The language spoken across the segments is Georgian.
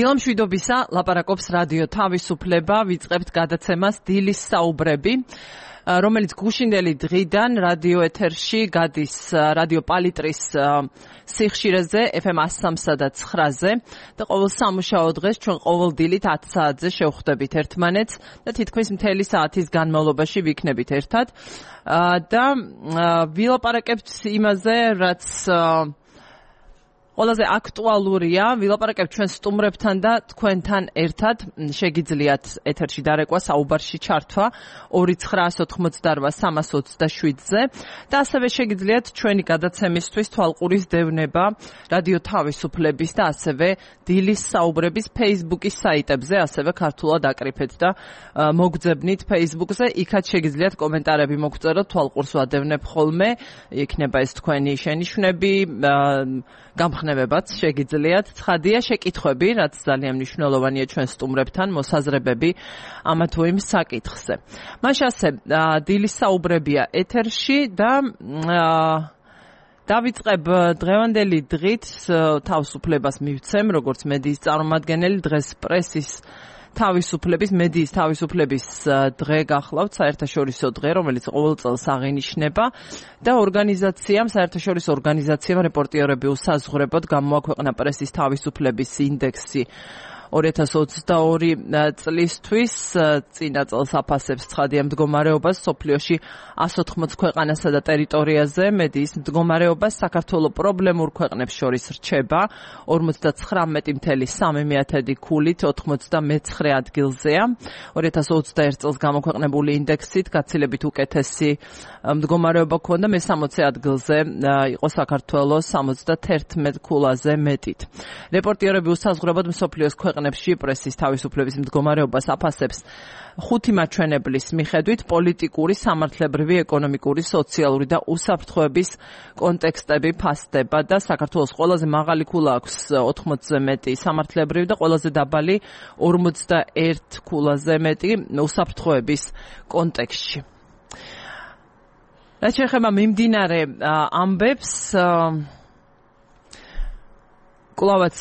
დილამშვიდობისა, ლაპარაკობს რადიო თავისუფლება, ვიწყებთ გადაცემას დილის საუბრები, რომელიც გუშინდელი დღიდან რადიო ეთერში გადის რადიო პალიტრის სიხშირეზე FM 103 და 9-ზე და ყოველ სამუშაო დღეს ჩვენ ყოველ დილით 10 საათზე შევხვდებით ერთმანეთს და თითქმის მთელი საათის განმავლობაში ვიქნებით ერთად და ვილაპარაკებთ იმაზე, რაც ყველაზე აქტუალურია, ვილაპარაკებთ ჩვენ სტუმრებთან და თქვენთან ერთად შეგიძლიათ ეთერში დარეკვა, საუბარში ჩართვა 2988-327-ზე და ასევე შეგიძლიათ ჩვენი გადაცემისთვის თვალყურის დევნება რადიო თავისუფლების და ასევე დილის საუბრების Facebook-ის საიტებზე, ასევე ქართულად აკრიფეთ და მოგძებნით Facebook-ზე, იქაც შეგიძლიათ კომენტარები მოგწეროთ, თვალყურს ვადევნებ ხოლმე, იქნება ეს თქვენი შენიშვნები, გამხნევებაც შეგიძლიათ, ცხადია შეკითხვები, რაც ძალიან მნიშვნელოვანია ჩვენ სტუმრებთან, მოსაზრებები ამა თუ იმ საკითხზე. მაშასე, დილის საუბრებია ეთერში და დავიწყებ დღევანდელი დღით თავისუფლებას მივცემ, როგორც მედიის წარმომადგენელი, დღეს პრესის თავისუფლების, მედიის თავისუფლების დღე გახლავთ, საერთაშორისო დღე, რომელიც ყოველ წელს აღინიშნება და საერთაშორისო ორგანიზაციამ რეპორტიორები უსაზღვრებოდ გამოაქვეყნა პრესის თავისუფლების ინდექსი 2022 წლისთვის, წინა წელს აფასებს ცხადია მდგომარეობას მსოფლიოში 180 ქვეყანასა და ტერიტორიაზე, მედიის მდგომარეობას საქართველოს პრობლემურ ქვეყნებს შორის რჩება 59.3 ქულით 99 ადგილზეა. 2021 წელს გამოქვეყნებული ინდექსით გაცილებით უკეთესი მდგომარეობა ჰქონდა, მე-60 ადგილზე იყო საქართველოს 71 ქულაზე მეტით. რეპორტიორები უსაზღვრებოდ მსოფლიოს ქვეყნებში პრესის თავისუფლების მდგომარეობას აფასებს 5 მაჩვენებლის მიხედვით პოლიტიკური, სამართლებრივი, ეკონომიკური, სოციალური და უსაფრთხოების კონტექსტები ფასდება და საქართველოს ყველაზე მაღალი ქულა აქვს 80-ზე მეტი სამართლებრივი და ყველაზე დაბალი 41 ქულაზე მეტი უსაფრთხოების კონტექსტში. რაც შეეხება მიმდინარე ამბებს, კლავაც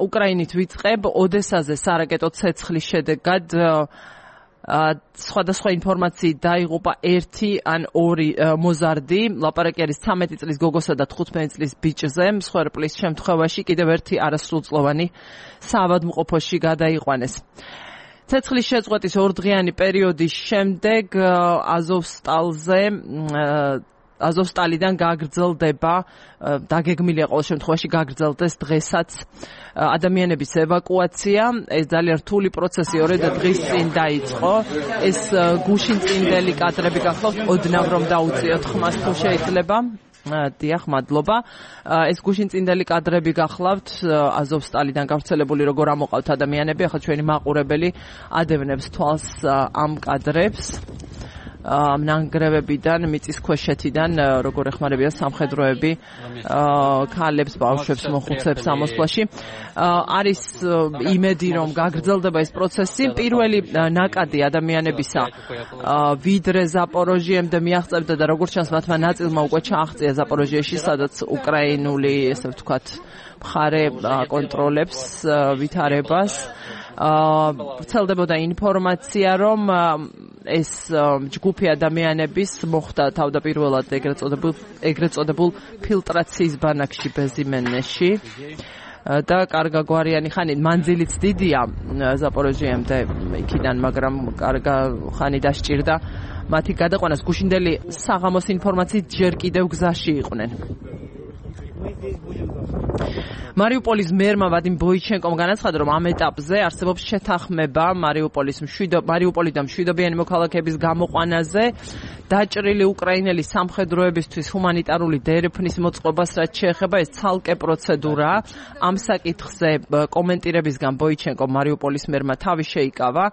უკრაინით ვიწყებ, ოდესაზე სარაკეტო ცეცხლის შედეგად სხვადასხვა ინფორმაციით დაიღუპა 1 ან 2 მოზარდი, ლაპარაკი არის 13 წლის გოგოსა და 15 წლის ბიჭზე, მსხვერპლის შემთხვევაში კიდევ ერთი არასრულწლოვანი საავადმყოფოში გადაიყვანეს. ცეცხლის შეწყვეტის 2 დღიანი პერიოდის შემდეგ აზოვსტალიდან გაგრძელდება, დაგეგმილია ყოველ შემთხვევაში გაგრძელდეს დღესაც ადამიანების ევაკუაცია. ეს ძალიან რთული პროცესი 2 დღის წინ დაიწყო. ეს გუშინწინდელი კადრები გახლავთ, ოდნავ რომ დაუწიოთ ხმას თუ შეიძლება. დიახ, მადლობა. ეს გუშინწინდელი კადრები გახლავთ, აზოვსტალიდან გავრცელებული როგორ ამოყავთ ადამიანები, ახლა ჩვენი მაყურებელი ადევნებს თვალს ამ კადრებს. ნანგრევებიდან, მიწისქვეშეთიდან, როგორ ეხმარებიან სამხედროები ქალებს, ბავშვებს, მოხუცებს ამოსვლაში. არის იმედი, რომ გაგრძელდება ეს პროცესი. პირველი ნაკადი ადამიანებისა ვიდრე ზაპოროჟიემდე მიაღწევდა და როგორც ჩანს, მათმა ნაწილმა უკვე ჩააღწია ზაპოროჟიაში, სადაც უკრაინული, ესე ვთქვათ, მხარე კონტროლებს ვითარებას. ვრცელდებოდა ინფორმაცია, რომ ეს ჯგუფი ადამიანების მოხვდა თავდაპირველად ეგრეთ წოდებულ ფილტრაციის ბანაკში ბეზიმენეში და კარგა გვარიანი ხანი, მანძილიც დიდია ზაპოროჟიემდე იქიდან, მაგრამ კარგა ხანი დასჭირდა მათი გადაყვანას. გუშინდელი საღამოს ინფორმაციით ჯერ კიდევ გზაში იყვნენ. მარიუპოლის მერმა ვადიმ ბოიჩენკომ განაცხადა, რომ ამ ეტაპზე არსებობს შეთანხმება მარიუპოლიდან მშვიდობიანი მოქალაქეების გამოყვანაზე, დაჭრილი უკრაინელი სამხედროებისთვის ჰუმანიტარული დერეფნის მოწყობას, რაც შეეხება, ეს ცალკე პროცედურაა. ამ საკითხზე კომენტირებისგან ბოიჩენკომ მარიუპოლის მერმა თავი შეიკავა,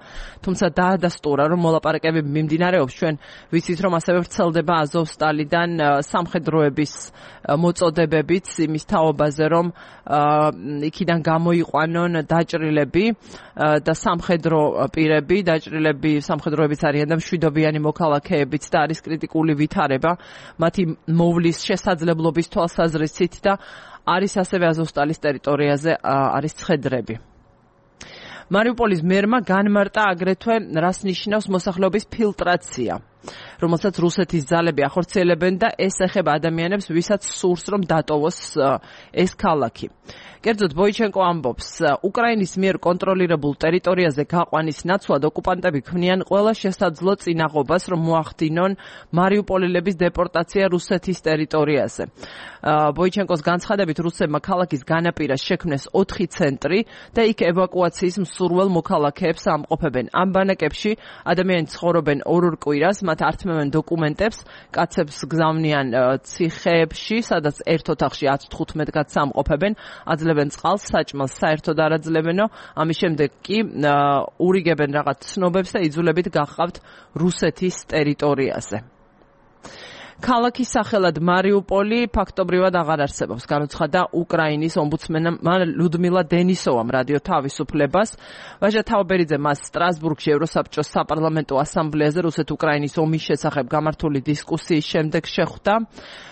თუმცა დაადასტურა, რომ მოლაპარაკებები მიმდინარეობს. ჩვენ ვიცით, რომ ასევე ვრცელდება აზოვსტალიდან სამხედროების მოწოდებებიც იმის თაობაზე, რომ იქიდან გამოიყვანონ დაჭრილები და სამხედრო პირები, სამხედროებიც არიან და მშვიდობიანი მოქალაქეებიც და არის კრიტიკული ვითარება მათი მოვლის შესაძლებლობის თვალსაზრისით და არის ასევე აზოვსტალის ტერიტორიაზე არის ცხედრები. მარიუპოლის მერმა განმარტა აგრეთვე რას ნიშნავს მოსახლეობის ფილტრაცია, რომელსაც რუსეთის ძალები ახორციელებენ და ეს ეხება ადამიანებს, ვისაც სურს რომ დატოვოს ეს ქალაქი. კერძოდ ბოიჩენკო ამბობს, უკრაინის მიერ კონტროლირებულ ტერიტორიაზე გაყვანის ნაცვლად ოკუპანტები ქმნიან ყველა შესაძლო წინაღობას, რომ მოახდინონ მარიუპოლელების დეპორტაცია რუსეთის ტერიტორიაზე. ბოიჩენკოს განცხადებით, რუსებმა ქალაქის განაპირას შექმნეს 4 ცენტრი და იქ ევაკუაციის მსურველ მოქალაქეებს ამყოფებენ. ამ ბანაკებში ადამიანები ცხოვრობენ 2 კვირას, მათ ართმევენ დოკუმენტებს, კაცებს გზავნიან ციხეებში, სადაც ერთ ოთახში 10-15 კაცს ამყოფებენ, აძლევენ წყალს, საჭმელს საერთოდ არ აძლებენო, ამის შემდეგ კი ურიგებენ რაღაც ცნობებს და იძულებით გახავთ რუსეთის ტერიტორიაზე. ქალაქის სახელად მარიუპოლი ფაქტობრივად აღარ არსებობს, განუცხადა უკრაინის ომბუდსმენმა ლუდმილა დენისოვამ რადიო თავისუფლებას. ვაჟა თავბერიძე მას სტრასბურგში ევროსაბჭოს საპარლამენტო ასამბლეაზე რუსეთ-უკრაინის ომის შესახებ გამართული დისკუსიის შემდეგ შეხვდა.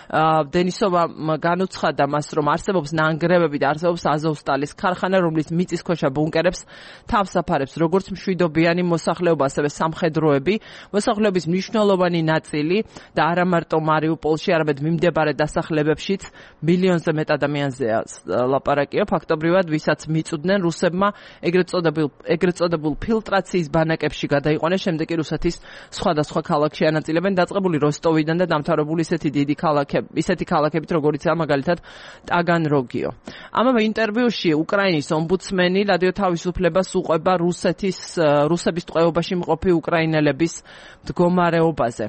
დენისოვა განუცხადა მას, რომ არსებობს ნანგრევები და არსებობს აზოვსტალის ქარხანა, რომლის მიწისქვეშა ბუნკერებს თავს აფარებს როგორც მშვიდობიანი მოსახლეობა, ასევე სამხედროები. მოსახლეობის მნიშვნელოვანი ნაწილი და არა მარტო მარიუპოლში, არამედ მიმდებარე დასახლებებშიც მილიონზე მეტ ადამიანზეა ლაპარაკია. ფაქტობრივად, ვისაც მიწუდნენ რუსებმა ეგრეთ წოდებულ ფილტრაციის ბანაკებში გადაიყვანეს, შემდეგ კი რუსეთის სხვადასხვა ქალაქში ანაწილებენ, დაწყებული როსტოვიდან და დამთავრებული ისეთი ქალაქებით, როგორიცაა მაგალითად ტაგანროგიო. ამავე ინტერვიუში უკრაინის ომბუდსმენი რადიო თავისუფლებას უყვება რუსების ტყვეობაში მყოფი უკრაინელების მდგომარეობაზე.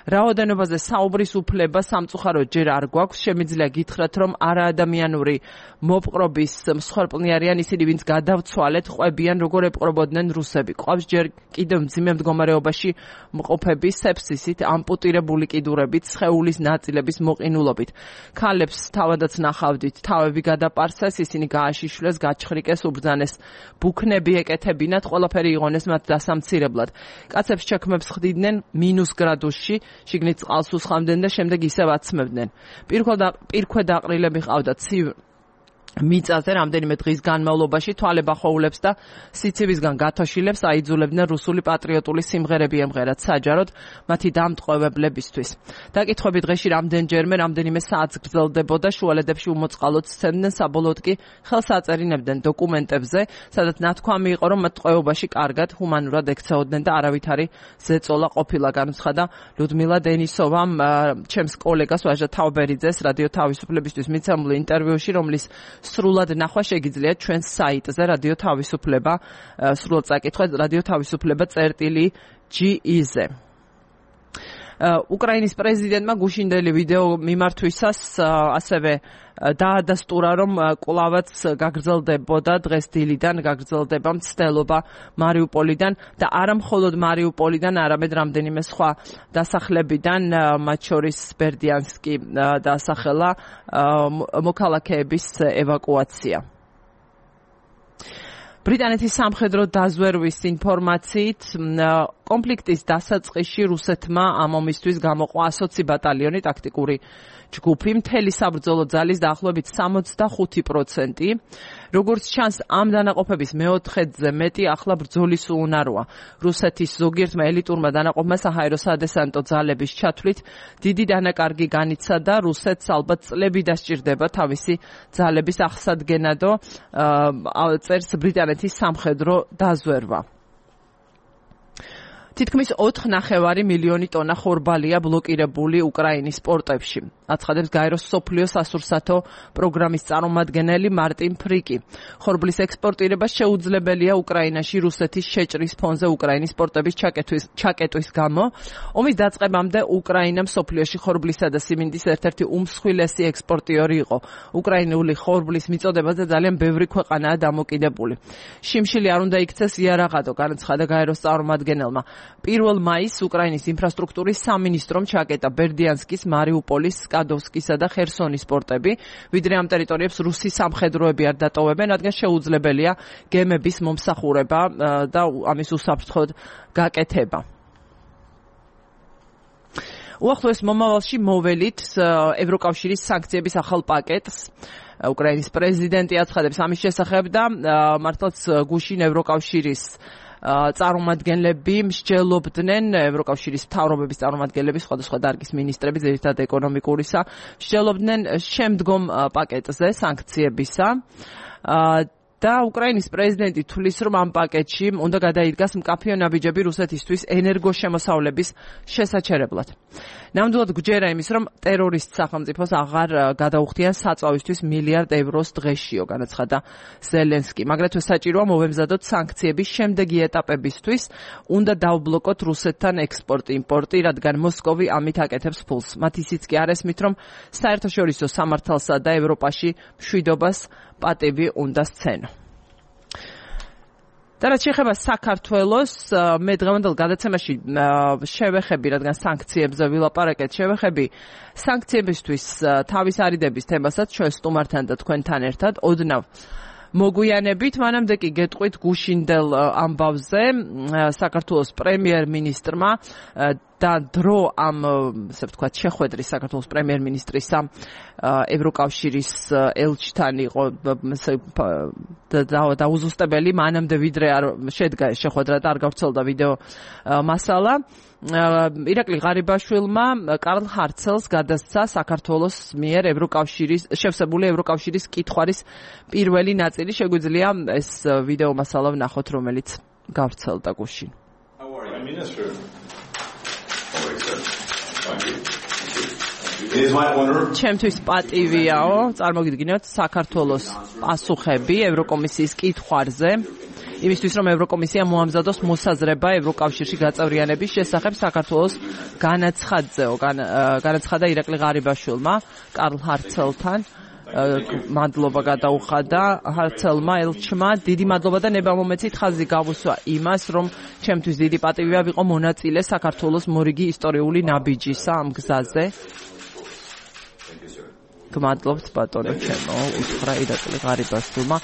რაოდენობაზე საუბრის უფლება სამწუხაროდ ჯერ არ გვაქვს, შემიძლია გითხრათ, რომ არაადამიანური მოპყრობის მსხვერპლნი არიან ისინი, ვინც გადავცვალეთ, ყვებიან, როგორ ეპყრობოდნენ რუსები. ყავს ჯერ კიდევ მძიმე მდგომარეობაში მყოფები სეფსისით, ამპუტირებული კიდურებით, სხეულის ნაწილების მოყინულობით. ქალებს თავადაც ნახავდით, თავები გადაპარსეს, ისინი გააშიშვლეს, გაჩხრიკეს, უბრძანეს, ბუქნები ეკეთებინათ, ყველაფერი იღონეს მათ დასამცირებლად. კაცებს ჩექმებს ხდიდნენ -, გრადუსში, შიგნით წყალს უსხამდნენ და შემდეგ ისევ აცმევდნენ. პირქვე დაყრილები ყავდათ ცივ მიწაზე რამდენიმე დღის განმავლობაში, თვალებ ახოულებს და სიცივისგან გათოშილებს აიძულებდნენ რუსული პატრიოტული სიმღერები ემღერათ საჯაროდ მათი დამტყვევებლებისთვის. დაკითხვები დღეში რამდენჯერმე, რამდენიმე საათს გრძელდებოდა, შუალედებში უმოწყალოდ სცემდნენ, საბოლოოდ კი ხელს აწერინებდნენ დოკუმენტებზე, სადაც ნათქვამი იყო, რომ მათ ტყვეობაში კარგად, ჰუმანურად ექცეოდნენ და არავითარი ზეწოლა ყოფილა, განუცხადა ლუდმილა დენისოვამ ჩემს კოლეგას ვაჟა თავბერიძეს რადიო თავისუფლებისთვის მიცემულ ინტერვიუში, რომლის სრულად ნახვა შეგიძლიათ ჩვენს საიტზე რადიო თავისუფლება, სრულად წაკითხვა რადიო თავისუფლება წერტილი.ge-ზე. უკრაინის პრეზიდენტმა გუშინდელი ვიდეო მიმართვისას ასევე დაადასტურა, რომ კვლავაც გაგრძელდებოდა დღეს დილიდან გაგრძელდება მცდელობა მარიუპოლიდან და არა მხოლოდ მარიუპოლიდან, არამედ რამდენიმე სხვა დასახლებიდან, მათ შორის ბერდიანსკი დასახელა მოქალაქეების ევაკუაცია. ბრიტანეთის სამხედრო დაზვერვის ინფორმაციით კონფლიქტის დასაწყისში რუსეთმა ამ ომისთვის გამოყვა 120 ბატალიონი ტაქტიკური ჯგუფი, მთელი საბრძოლო ძალის დაახლოებით 65%. როგორც ჩანს, ამ დანაყოფების მეოთხედზე მეტი ახლა ბრძოლის უუნაროა. რუსეთის ზოგიერთმა ელიტურმა დანაყოფმა საჰაერო სადესანტო ძალების ჩათვლით დიდი დანაკარგი განიცადა. რუსეთს ალბათ წლები დასჭირდება თავისი ძალების აღსადგენადო, წერს ბრიტანეთის სამხედრო დაზვერვა. თითქმის 4,5 მილიონი ტონა ხორბალია ბლოკირებული უკრაინის პორტებში. აცხადებს გაეროს მსოფლიო სასურსათო პროგრამის წარმომადგენელი მარტინ ფრიკი. ხორბლის ექსპორტირება შეუძლებელია უკრაინაში რუსეთის შეჭრის ფონზე უკრაინის პორტების ჩაკეტვის გამო. ომის დაწყებამდე უკრაინა მსოფლიოში ხორბლისა და სიმინდის ერთ-ერთი უმსხვილესი ექსპორტიორი იყო. უკრაინული ხორბლის მიწოდებაზე ძალიან ბევრი ქვეყანაა დამოკიდებული. შიმშილი არ უნდა იქცეს იარაღადო, განაცხადა გაეროს წარმომადგენელმა. 1 მაისს უკრაინის ინფრასტრუქტურის სამინისტრომ ჩაკეტა ბერდიანსკის, მარიუპოლის, სკადოვსკისა და ხერსონის პორტები, ვიდრე ამ ტერიტორიებს რუსი სამხედროები არ დატოვებენ, რადგან შეუძლებელია გემების მომსახურება და ამის უსაფრთხოდ გაკეთება. უახლოეს მომავალში მოველით ევროკავშირის სანქციების ახალ პაკეტს. უკრაინის პრეზიდენტი აცხადებს ამის შესახებ და მართლაც გუშინ ევროკავშირის წარმომადგენლები მსჯელობდნენ ევროკავშირის მთავრობების წარმომადგენლები სხვადასხვა დარგის მინისტრები ძირითადად ეკონომიკურისა მსჯელობდნენ შემდგომ პაკეტზე სანქციებისა და უკრაინის პრეზიდენტი თვლის, რომ ამ პაკეტში უნდა გადაიდგას მკაფიო ნაბიჯები რუსეთისთვის ენერგოშემოსავლების შესაჩერებლად. ნამდვილად გვჯერა იმის, რომ ტერორისტ სახელმწიფოს აღარ გადაუხდიან საწვავისთვის €1 მილიარდ დღეშიო, განაცხადა ზელენსკი. აგრეთვე საჭიროა მოვემზადოთ სანქციების შემდეგი ეტაპებისთვის, უნდა დავბლოკოთ რუსეთთან ექსპორტ-იმპორტი, რადგან მოსკოვი ამით აკეთებს ფულს. მათ ისიც კი არ ესმით, რომ საერთაშორისო სამართალსა და ევროპაში მშვიდობას პატივი უნდა სცენო. და რაც შეეხება საქართველოს, მე დღევანდელ გადაცემაში შევეხები, რადგან სანქციებზე ვილაპარაკეთ, შევეხები სანქციებისთვის თავის არიდების თემასაც ჩვენ სტუმართან და თქვენთან ერთად ოდნავ მოგვიანებით, მანამდე კი გეტყვით გუშინდელ ამბავზე საქართველოს პრემიერ-მინისტრმა და დრო ამ, ასე ვთქვათ, შეხვედრის საქართველოს პრემიერ-მინისტრისა ევროკავშირის ელჩთან იყო დაუზუსტებელი, მანამდე ვიდრე არ შედგა შეხვედრა და არ გავრცელდა ვიდეო მასალა. ირაკლი ღარიბაშვილმა კარლ ჰარცელს გადასცა საქართველოს მიერ შევსებული ევროკავშირის კითხვარის პირველი ნაწილი. შეგვიძლია ეს ვიდეო მასალა ვნახოთ, რომელიც გავრცელდა გუშინ. ჩემთვის პატივიაო წარმოგიდგინოთ საქართველოს პასუხები ევროკომისიის კითხვარზე. იმისთვის, რომ ევროკომისია მოამზადოს მოსაზრება ევროკავშირში გაწევრიანების შესახებ საქართველოს განაცხადა ირაკლი ღარიბაშვილმა კარლ ჰარცელთან. მადლობა გადაუხადა ჰარცელმა ელჩმა. დიდი მადლობა და ნება მომეცით ხაზი გავუსვა იმას, რომ ჩემთვის დიდი პატივია ვიყო მონაწილე საქართველოს მორიგი ისტორიული ნაბიჯისა ამ გზაზე. გმადლობთ ბატონო ჩემო, უთხრა ირაკლი ღარიბაშვილმა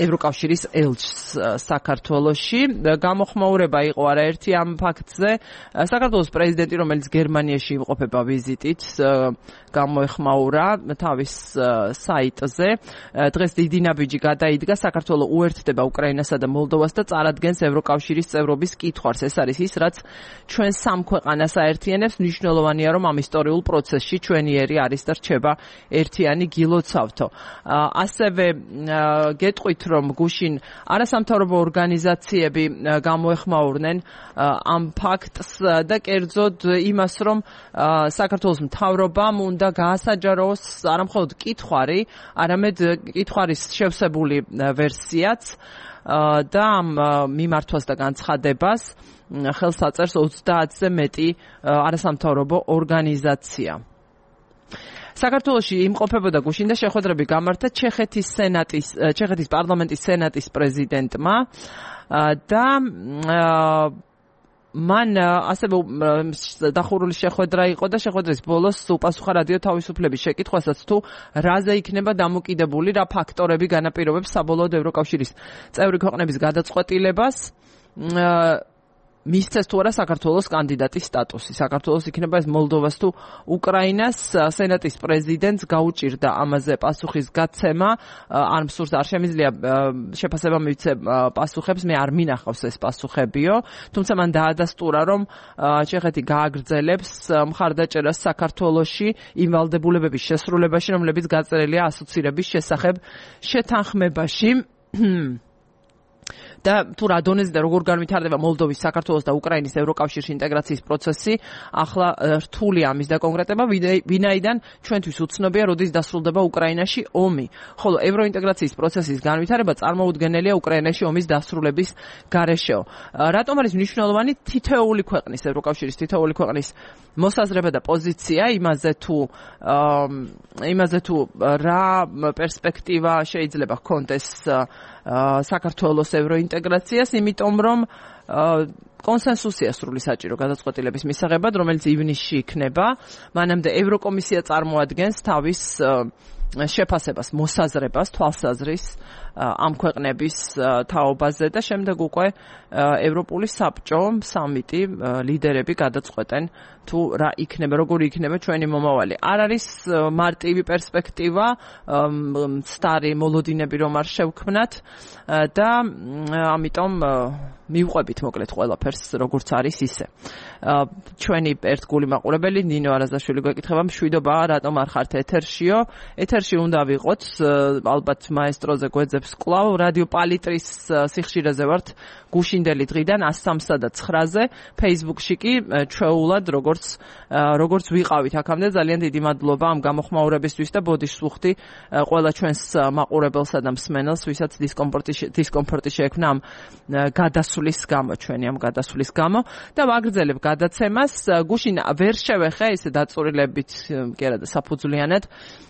ევროკავშირის ელჩს საქართველოში. გამოხმაურება იყო არაერთი ამ ფაქტზე. საქართველოს პრეზიდენტი, რომელიც გერმანიაში იმყოფება ვიზიტით, გამოეხმაურა თავის საიტზე. დღეს დიდი ნაბიჯი გადაიდგა. საქართველო უერთდება უკრაინასა და მოლდოვას და წარადგენს ევროკავშირის წევრობის კითხვარს. ეს არის ის, რაც ჩვენ სამ ქვეყანას აერთიანებს. მნიშვნელოვანია, რომ ამ ისტორიულ პროცესში ჩვენიერი არის და რჩება ერთიანი გილოცავთო. ასევე გეტყვით, რომ გუშინ არასამთავრობო ორგანიზაციები გამოეხმაურნენ ამ ფაქტს და კერძოდ იმას, რომ საქართველოს მთავრობამ უნდა გაასაჯაროს არამხოლოდ კითხვარი, არამედ კითხვარის შევსებული ვერსიაც და ამ მიმართვას და განცხადებას ხელს აწერს 30-ზე მეტი არასამთავრობო ორგანიზაცია. საქართველოში იმყოფებოდა გუშინ და შეხვედრები გამართა ჩეხეთის პარლამენტის სენატის პრეზიდენტმა და მან ასევე დახურული შეხვედრა იყო და შეხვედრის ბოლოს უპასუხა რადიო თავისუფლების შეკითხვასაც თუ რაზე იქნება დამოკიდებული, რა ფაქტორები განაპირობებს საბოლოოდ ევროკავშირის წევრი ქვეყნების გადაწყვეტილებას მისცეს თუ არა საქართველოს კანდიდატის სტატუსი. საქართველოს იქნება ეს მოლდოვას თუ უკრაინას. სენატის პრეზიდენტს გაუჭირდა ამაზე პასუხის გაცემა. არ მსურს, არ შემიძლია შეფასება მივცე პასუხებს, მე არ მინახავს ეს პასუხებიო. თუმცა მან დაადასტურა, რომ ჩეხეთი გააგრძელებს მხარდაჭერას საქართველოში იმ ვალდებულებების შესრულებაში, რომლებიც გაწერილია ასოცირების შესახებ შეთანხმებაში. და თუ რა დონეზე და როგორ განვითარდება მოლდოვის, საქართველოს და უკრაინის ევროკავშირში ინტეგრაციის პროცესი, ახლა რთული ამის დაკონკრეტება, ვინაიდან ჩვენთვის უცნობია, როდის დასრულდება უკრაინაში ომი. ხოლო ევროინტეგრაციის პროცესის განვითარება წარმოუდგენელია უკრაინაში ომის დასრულების გარეშეო. რატომ არის მნიშვნელოვანი თითოეული ქვეყნის, ევროკავშირის თითოეული ქვეყნის მოსაზრება და პოზიცია იმაზე თუ რა პერსპექტივა შეიძლება ჰქონდეს საქართველოს ევროინტეგრაციას, იმიტომ რომ კონსენსუსია სრული საჭირო გადაწყვეტილების მისაღებად, რომელიც ივნისში იქნება. მანამდე ევროკომისია წარმოადგენს თავის შეფასებას, მოსაზრებას, თვალსაზრის ამ ქვეყნების თაობაზე და შემდეგ უკვე ევროპული საბჭო, სამიტი, ლიდერები გადაწყვეტენ თუ რა იქნება, როგორი იქნება ჩვენი მომავალი. არ არის მარტივი პერსპექტივა, სტარი მოლოდინები რომ არ შევქმნათ და ამიტომ მივყვებით მოკლედ ყველაფერს როგორც არის ისე. ჩვენი ერთგული მაყურებელი ნინო არაზაშვილი გვეკითხება, მშვიდობა, რატომ არ ხართ ეთერშიო? ეთერში უნდა ვიყოთ, ალბათ მაესტროზე გვეძებს კვლავ, რადიო პალიტრის სიხშირეზე ვართ გუშინდელი დღიდან 103-სა და 9-ზე, Facebook-ში კი ჩვეულად როგორც ვიყავით აქამდე, ძალიან დიდი მადლობა ამ გამოხმაურებისთვის და ბოდიშს ვუხდი ყველა ჩვენს მაყურებელსა და მსმენელს, ვისაც დისკომფორტი შეექმნა ამ გადასვლის გამო, ჩვენი ამ გადასვლის გამო და ვაგრძელებ გადაცემას. გუშინ ვერ შევეხე ისე დაწურილებით კი არა და საფუძვლიანად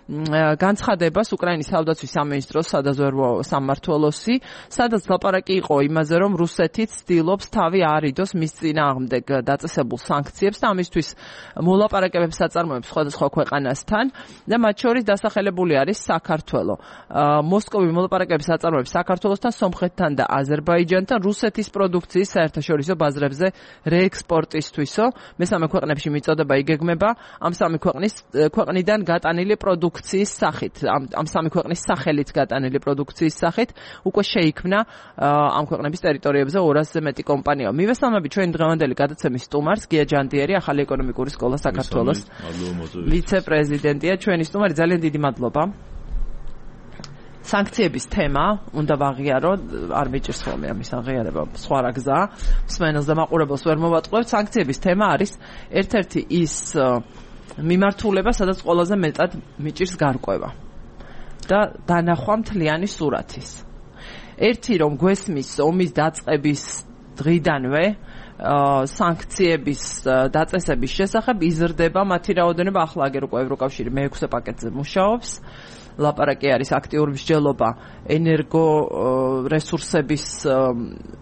განცხადებას უკრაინის თავდაცვის სამინისტროს სადაზვერვო სამმართველოსი, სადაც ლაპარაკი იყო იმაზე, რომ რუსეთი ცდილობს თავი აარიდოს მის წინააღმდეგ დაწესებულ სანქციებს და ამისთვის მოლაპარაკებებს აწარმოებს სხვადასხვა ქვეყანასთან და მათ შორის დასახელებული არის საქართველო. მოსკოვი მოლაპარაკებებს აწარმოებს საქართველოსთან, სომხეთთან და აზერბაიჯანთან რუსეთის პროდუქციის საერთაშორისო ბაზრებზე რეექსპორტისთვისო. მესამე ქვეყნებში მიწოდება იგეგმება ამ სამი ქვეყნიდან გატანილი პროდუქციის სახით, ამ სამი ქვეყნის სახელით გატანილი პროდუქციის სახით უკვე შეიქმნა ამ ქვეყნების ტერიტორიებზე 200-ზე მეტი კომპანია. მივესალმებით ჩვენი დღევანდელი გადაცემის სტუმარს, გია ჯანდიერი, ახალი ეკონომიკური სკოლა საქართველოს ვიცე-პრეზიდენტია. ჩვენი სტუმარი, ძალიან დიდი მადლობა. სანქციების თემა უნდა ვაღიარო, არ მიჭირს ხოლმე ამის აღიარება, სხვა რა გზაა. მსმენელს და მაყურებელს ვერ მოვატყუებთ. სანქციების თემა არის ერთ-ერთი ის მიმართულება, სადაც ყველაზე მეტად მიჭირს გარკვევა და დანახვა მთლიანი სურათის. ერთი რომ გვესმის ომის დაწყების დღიდანვე სანქციების დაწესების შესახებ იზრდება მათი რაოდენობა. ახლა აგერ უკვე ევროკავშირი მე-6 პაკეტზე მუშაობს. ლაპარაკი არის აქტიური მსჯელობა ენერგო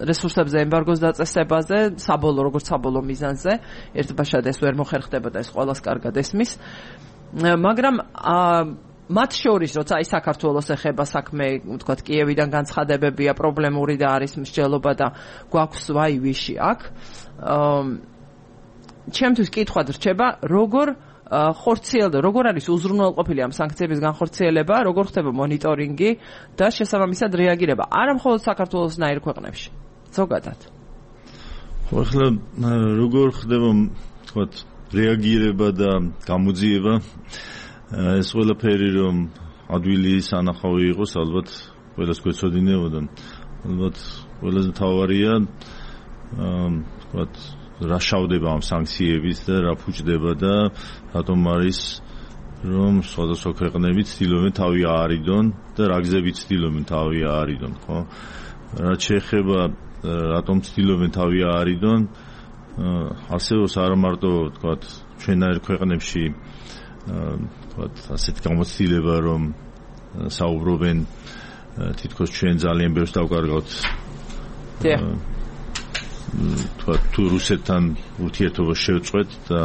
რესურსებზე ემბარგოს დაწესებაზე, როგორც საბოლოო მიზანზე. ერთბაშად ეს ვერ მოხერხდება და ეს ყველას კარგად ესმის. მაგრამ მათ შორის, როცა აი საქართველოს ეხება საქმე, ვთქვათ, კიევიდან განცხადებებია, პრობლემური და არის მსჯელობა და გვაქვს ვაი ვიში აქ. ჩემთვის კითხვა რჩება, როგორ არის უზრუნველყოფილი ამ სანქციების განხორციელება, როგორ ხდება მონიტორინგი და შესაბამისად რეაგირება, არა მხოლოდ საქართველოსნაირ ქვეყნებში, ზოგადად. ახლა როგორ ხდება, ვთქვათ, რეაგირება და გამოძიება, ეს ყველაფერი რომ ადვილი სანახავი იყოს, ალბათ ყველას გვეცოდინებოდა. ალბათ ყველაზე მთავარია, ვთქვათ, რა შავდება ამ სანქციების და რა ფუჭდება და რატომ არის რომ სხვადასხვა ქვეყნები ცდილობენ თავი აარიდონ და რა გზებით ცდილობენ თავი აარიდონ, ხო? რაც შეეხება რატომ ცდილობენ თავი აარიდონ, არსებობს არა მარტო, ვთქვათ, ჩვენაირ ქვეყნებში, ვთქვათ, ასეთ გამოცდილება, რომ საუბრობენ თითქოს ჩვენ ძალიან ბევრს დავკარგავთ. თუ რუსეთთან ურთიერთობა შევწყვეთ და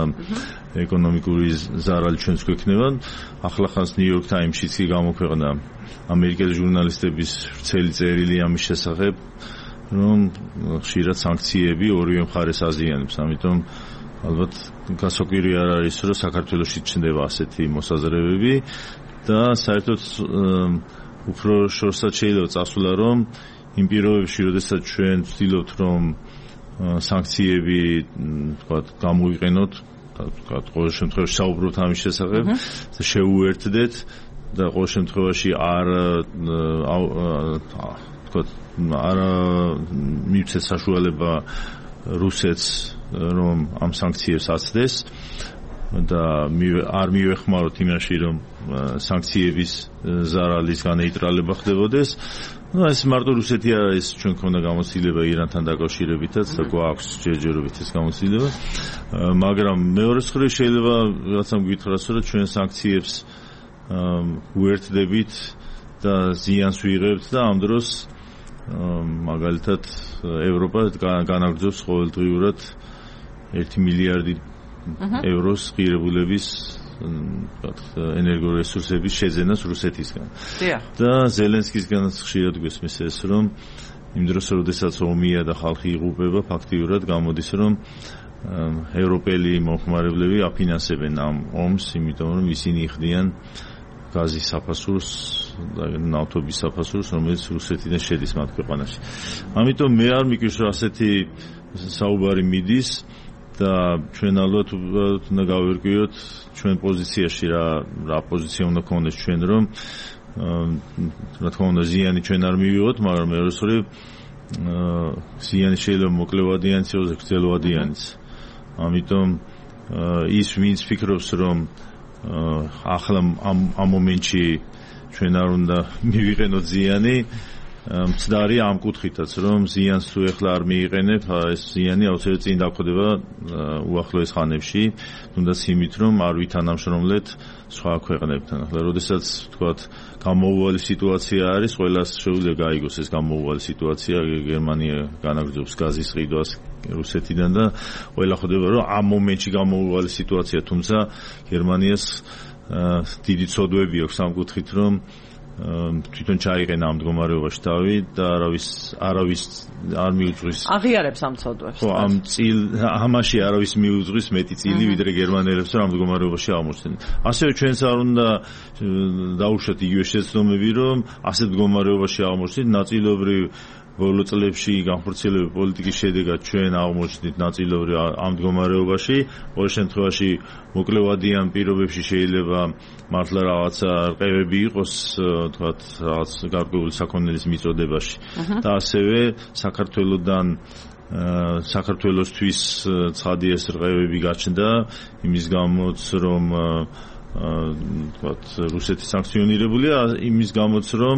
ეკონომიკური ზარალი ჩვენს გვექნება. ახლახანს ნიუ-იორკ ტაიმსშიც კი გამოქვეყნა ამერიკელი ჟურნალისტების ვრცელი წერილი ამის შესახებ, რომ ხშირად სანქციები ორივე მხარეს აზიანებს. ამიტომ ალბათ გასაკვირი არ არის, რომ საქართველოში ჩნდება ასეთი მოსაზრებები და საერთოდ უფრო შორსაც შეიძლება წასვლა, რომ იმ პირობებში, როდესაც ჩვენ ვცდილობთ, რომ სანქციები, ვთქვათ, გამოვიყენოთ, ვთქვათ, ყოველ შემთხვევაში საუბრობთ ამის შესახებ და შევუერთდეთ და ყოველ შემთხვევაში ვთქვათ, არ მივცეთ საშუალება რუსეთს, რომ ამ სანქციებს აცდეს და არ მივეხმაროთ იმაში, რომ სანქციების ზარალის განეიტრალება ხდებოდეს. ეს მარტო რუსეთი არ არის, ჩვენ ქონდა გამოცდილება ირანთან დაკავშირებითაც და გვაქვს ჯერჯერობით ეს გამოცდილება, მაგრამ მეორე მხრივ შეიძლება რაღაცამ გითხრას, რომ ჩვენ სანქციებს უერთდებით და ზიანს ვიღებთ და ამ დროს მაგალითად ევროპა განაგრძობს ყოველდღიურად 1 მილიარდი ევროს ღირებულების ენერგორესურსების შეძენას რუსეთისგან. და ზელენსკისგანაც ხშირად გვესმის ეს, რომ იმ დროს, როდესაც ომია და ხალხი იღუპება, ფაქტიურად გამოდის, რომ ევროპელი მომხმარებლები აფინანსებენ ამ ომს, იმიტომ რომ ისინი იხდიან გაზის საფასურს და ნავთობის საფასურს, რომელიც რუსეთიდან შედის მათ ქვეყანაში. ამიტომ მე არ მიგვის, რომ ასეთი საუბარი მიდის და ჩვენ ალბათ უნდა გავერკვიოთ ჩვენ პოზიციაში რა პოზიცია უნდა გქონდეს ჩვენ, რომ რა თქმა უნდა ზიანი ჩვენ არ მივიღოთ, მაგრამ მეორე ზიანი შეიძლება მოკლევადიანიც იყოს, გრძელვადიანიც. ამიტომ ის ვინც ფიქრობს, რომ ახლა ამ მომენტში ჩვენ არ უნდა მივიყენოთ ზიანი, მცდარი ამ კუთხითაც, რომ ზიანს თუ ეხლა არ მიიყენებ, ეს ზიანი აუცილებლად წინ დაგვხვდება უახლოეს ხანებში, თუნდაც იმით, რომ არ ვითანამშრომლეთ სხვა ქვეყნებთან. ახლა როდესაც თქვათ გამოუვალი სიტუაცია არის, ყველას შეუძლია გაიგოს ეს გამოუვალი სიტუაცია, გერმანია განაგრძობს გაზის ყიდვას რუსეთიდან და ყველა ხვდება, რომ ამ მომენტში გამოუვალი სიტუაცია, თუმცა გერმანიას დიდი ცოდვები აქვს ამ კუთხით, რომ თვითონ ჩაიყენა ამ მდგომარეობაში თავი და არავის არ მიუძღვის. აღიარებს ამ ცოდვებს. ხო, ამაში არავის მიუძღვის მეტი წილი, ვიდრე გერმანელებს ამ მდგომარეობაში აღმოჩნდნენ. ასევე ჩვენც არ უნდა დაუშვათ იგივე შეცდომები, რომ ასეთ მდგომარეობაში აღმოჩნდით ნაწილობრივ ბოლო წლებში განხორციელებული პოლიტიკის შედეგად ჩვენ აღმოჩნდით ნაწილობრივ ამ მდგომარეობაში. ყოველ შემთხვევაში მოკლევადიან პირობებში შეიძლება მართლა რაღაცა რყევები იყოს, თქვათ რაღაც გარკვეული საქონლის მიწოდებაში. და ასევე საქართველოსთვის ცხადი ეს რყევები გაჩნდა იმის გამოც, რომ თქვათ რუსეთი სანქციონირებულია, იმის გამოც, რომ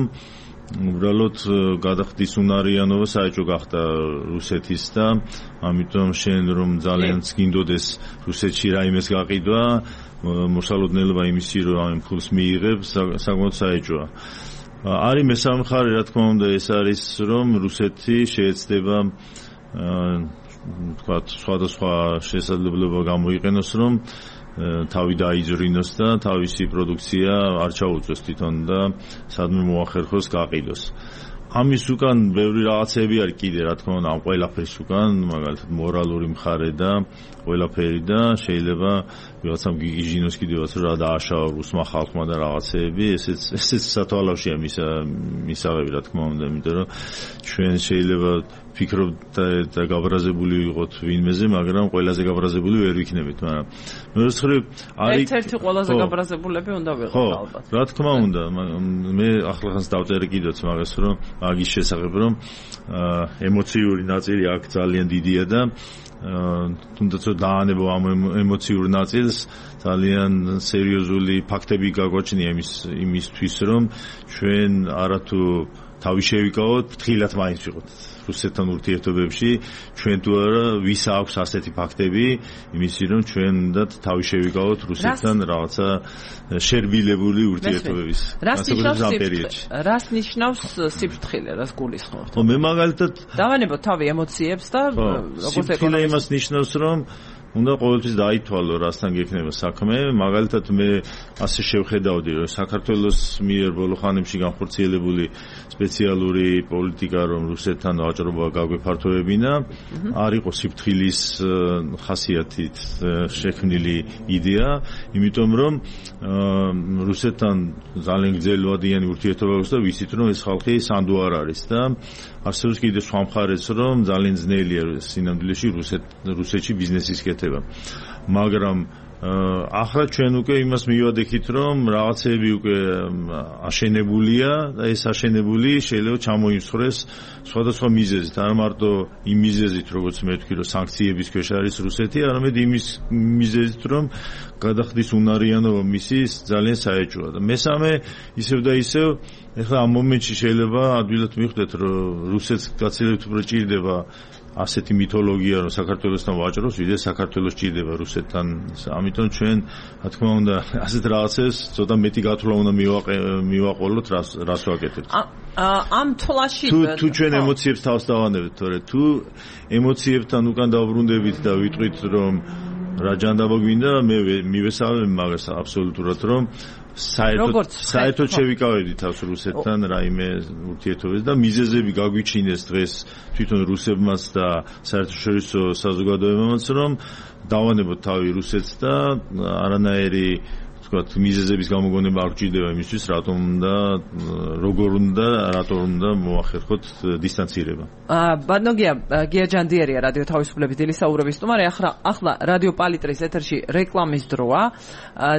უბრალოდ გადახდის უნარიანობა საერთო გახდა რუსეთის და ამიტომ შენ რომ ძალიან გინდოდეს რუსეთში რაიმეს გაყიდვა, მოსალოდნელობა იმისი რომ ამ ფულს მიიღებ საკმაოდ საერთოა. არის მესამე მხარე, რა თქმა უნდა, ეს არის რომ რუსეთი შეეცდება თქვათ სხვადასხვა შესაძლებლობა გამოიყენოს, რომ თავი დაიძრინოს და თავისი პროდუქცია არ ჩაუწვეს თვითონ და სადმე მოახერხოს გაყიდოს. ამის უკან ბევრი რაღაცები არის კიდე, რა თქმა უნდა, ამ ყველაფრის უკან, მაგალითად მორალური მხარე და ყველაფერი და შეიძლება ვიღაცამ გიგიჟინოს კიდევაც რა დააშავა რუსმა ხალხმა და რაღაცეები, ესეც სათვალავშია მისაღები, რა თქმა უნდა, იმიტომ რომ ჩვენ შეიძლება ფიქრობთ და გაბრაზებული ვიყოთ ვინმეზე, მაგრამ ყველაზე გაბრაზებული ვერ ვიქნებით, მაგრამ მეცხრე არის ერთ-ერთი ყველაზე გაბრაზებულები უნდა ვიყოთ ალბათ. რა თქმა უნდა, მე ახლახანს დავწერე კიდეც მაგას, რომ მაგის შესახებ, რომ ემოციური ნაწილი აქ ძალიან დიდია და თუნდაც დაანებო ამ ემოციურ ნაწილს, ძალიან სერიოზული ფაქტები გაგვაჩნია იმისთვის, რომ ჩვენ არათუ თავი შევიკავოთ, ფრთხილად მაინც ვიყოთ რუსეთთან ურთიერთობებში, ჩვენ თუ არა ვის აქვს ასეთი ფაქტები, იმისი რომ ჩვენ უნდა თავი შევიკავოთ რუსეთთან რაღაცა შერბილებული ურთიერთობების პერიოდში. რას ნიშნავს სიფრთხილე, რას გულისხმობთ? მე მაგალითად დავანებოთ თავი ემოციებს და როგორც სიფრთხილე იმას ნიშნავს, რომ უნდა ყოველთვის დაითვალო რასთან გექნება საქმე. მაგალითად მე ასე შევხედავდი, რომ საქართველოს მიერ ბოლო ხანებში განხორციელებული სპეციალური პოლიტიკა, რომ რუსეთთან ვაჭრობა გაგვეფართოებინა, არ იყო სიფრთხილის ხასიათით შექმნილი იდეა, იმიტომ რომ რუსეთთან ძალიან გრძელვადიანი ურთიერთობა აქვს და ვიცით, რომ ეს ხალხი სანდო არ არის და არსებობს კიდევ სხვა მხარეც, რომ ძალიან ძნელია სინამდვილეში რუსეთში ბიზნესის კეთება. მაგრამ ახლა ჩვენ უკვე იმას მივადექით, რომ რაღაცები უკვე აშენებულია და ეს აშენებული შეიძლება ჩამოიმსხვრეს სხვადასხვა მიზეზით, არ მარტო იმ მიზეზით, როგორც მე ვთქვი, რომ სანქციების ქვეშ არის რუსეთი, არამედ იმის მიზეზით, რომ გადახდის უნარიანობა მისი ძალიან საეჭვოა. და მესამე ისევ და ისევ ეხლა ამ მომენტში შეიძლება ადვილად მიხვდეთ, რომ რუსეთს გაცილებით უფრო ჭირდება ასეთი მითოლოგია რომ საქართველოსთან ვაჭრობს, ვიდრე საქართველოს ჭირდება რუსეთთან. ამიტომ ჩვენ, რა თქმა უნდა, ასეთ რაღაცებს ცოტა მეტი გათვლა უნდა მივაყოლოთ, რას ვაკეთებთ. ამ თვალში თუ ჩვენ ემოციებს თავს დავანებთ, თორე თუ ემოციებთან უკან დავბრუნდებით და ვიტყვით რომ რა ჯანდაბა გვინდა, მე მივესალმე მაგას აბსოლუტურად რომ საერთოდ შევიკავებდი თავს რუსეთთან რაიმე ურთიერთობებს და მიზეზები გაგვიჩინეს დღეს თვითონ რუსებმაც და საერთაშორისო საზოგადოებამაც რომ დავანებოთ თავი რუსეთს და არანაირი ვთქვათ მიზეზების გამოგონება არ გვჭირდება იმისთვის რატომ უნდა როგორ უნდა რატომ უნდა მოახერხოთ დისტანცირება. ბატონო გია ჯანდიერია რადიო თავისუფლების დილის საუბრების სტუმარი. ახლა რადიო პალიტრის ეთერში რეკლამის დროა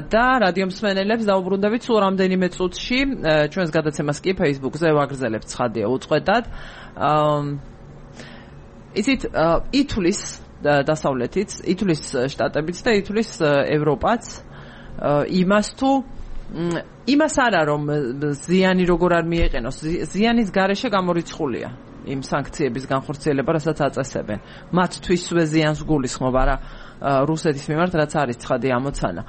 და რადიო მსმენელებს დაუბრუნდებით სულ რამდენიმე წუთში ჩვენს გადაცემას კი Facebook-ზე ვაგრძელებთ ცხადია უწყვეტად. იცით ითვლის დასავლეთიც, ითვლის შტატებიც და ითვლის ევროპაც იმას არა რომ ზიანი როგორ არ მიეყენოს, ზიანის გარეშე გამორიცხულია იმ სანქციების განხორციელება, რასაც აწესებენ. მათთვისვე ზიანს გულისხმობ არა რუსეთის მიმართ, რაც არის ცხადი ამოცანა.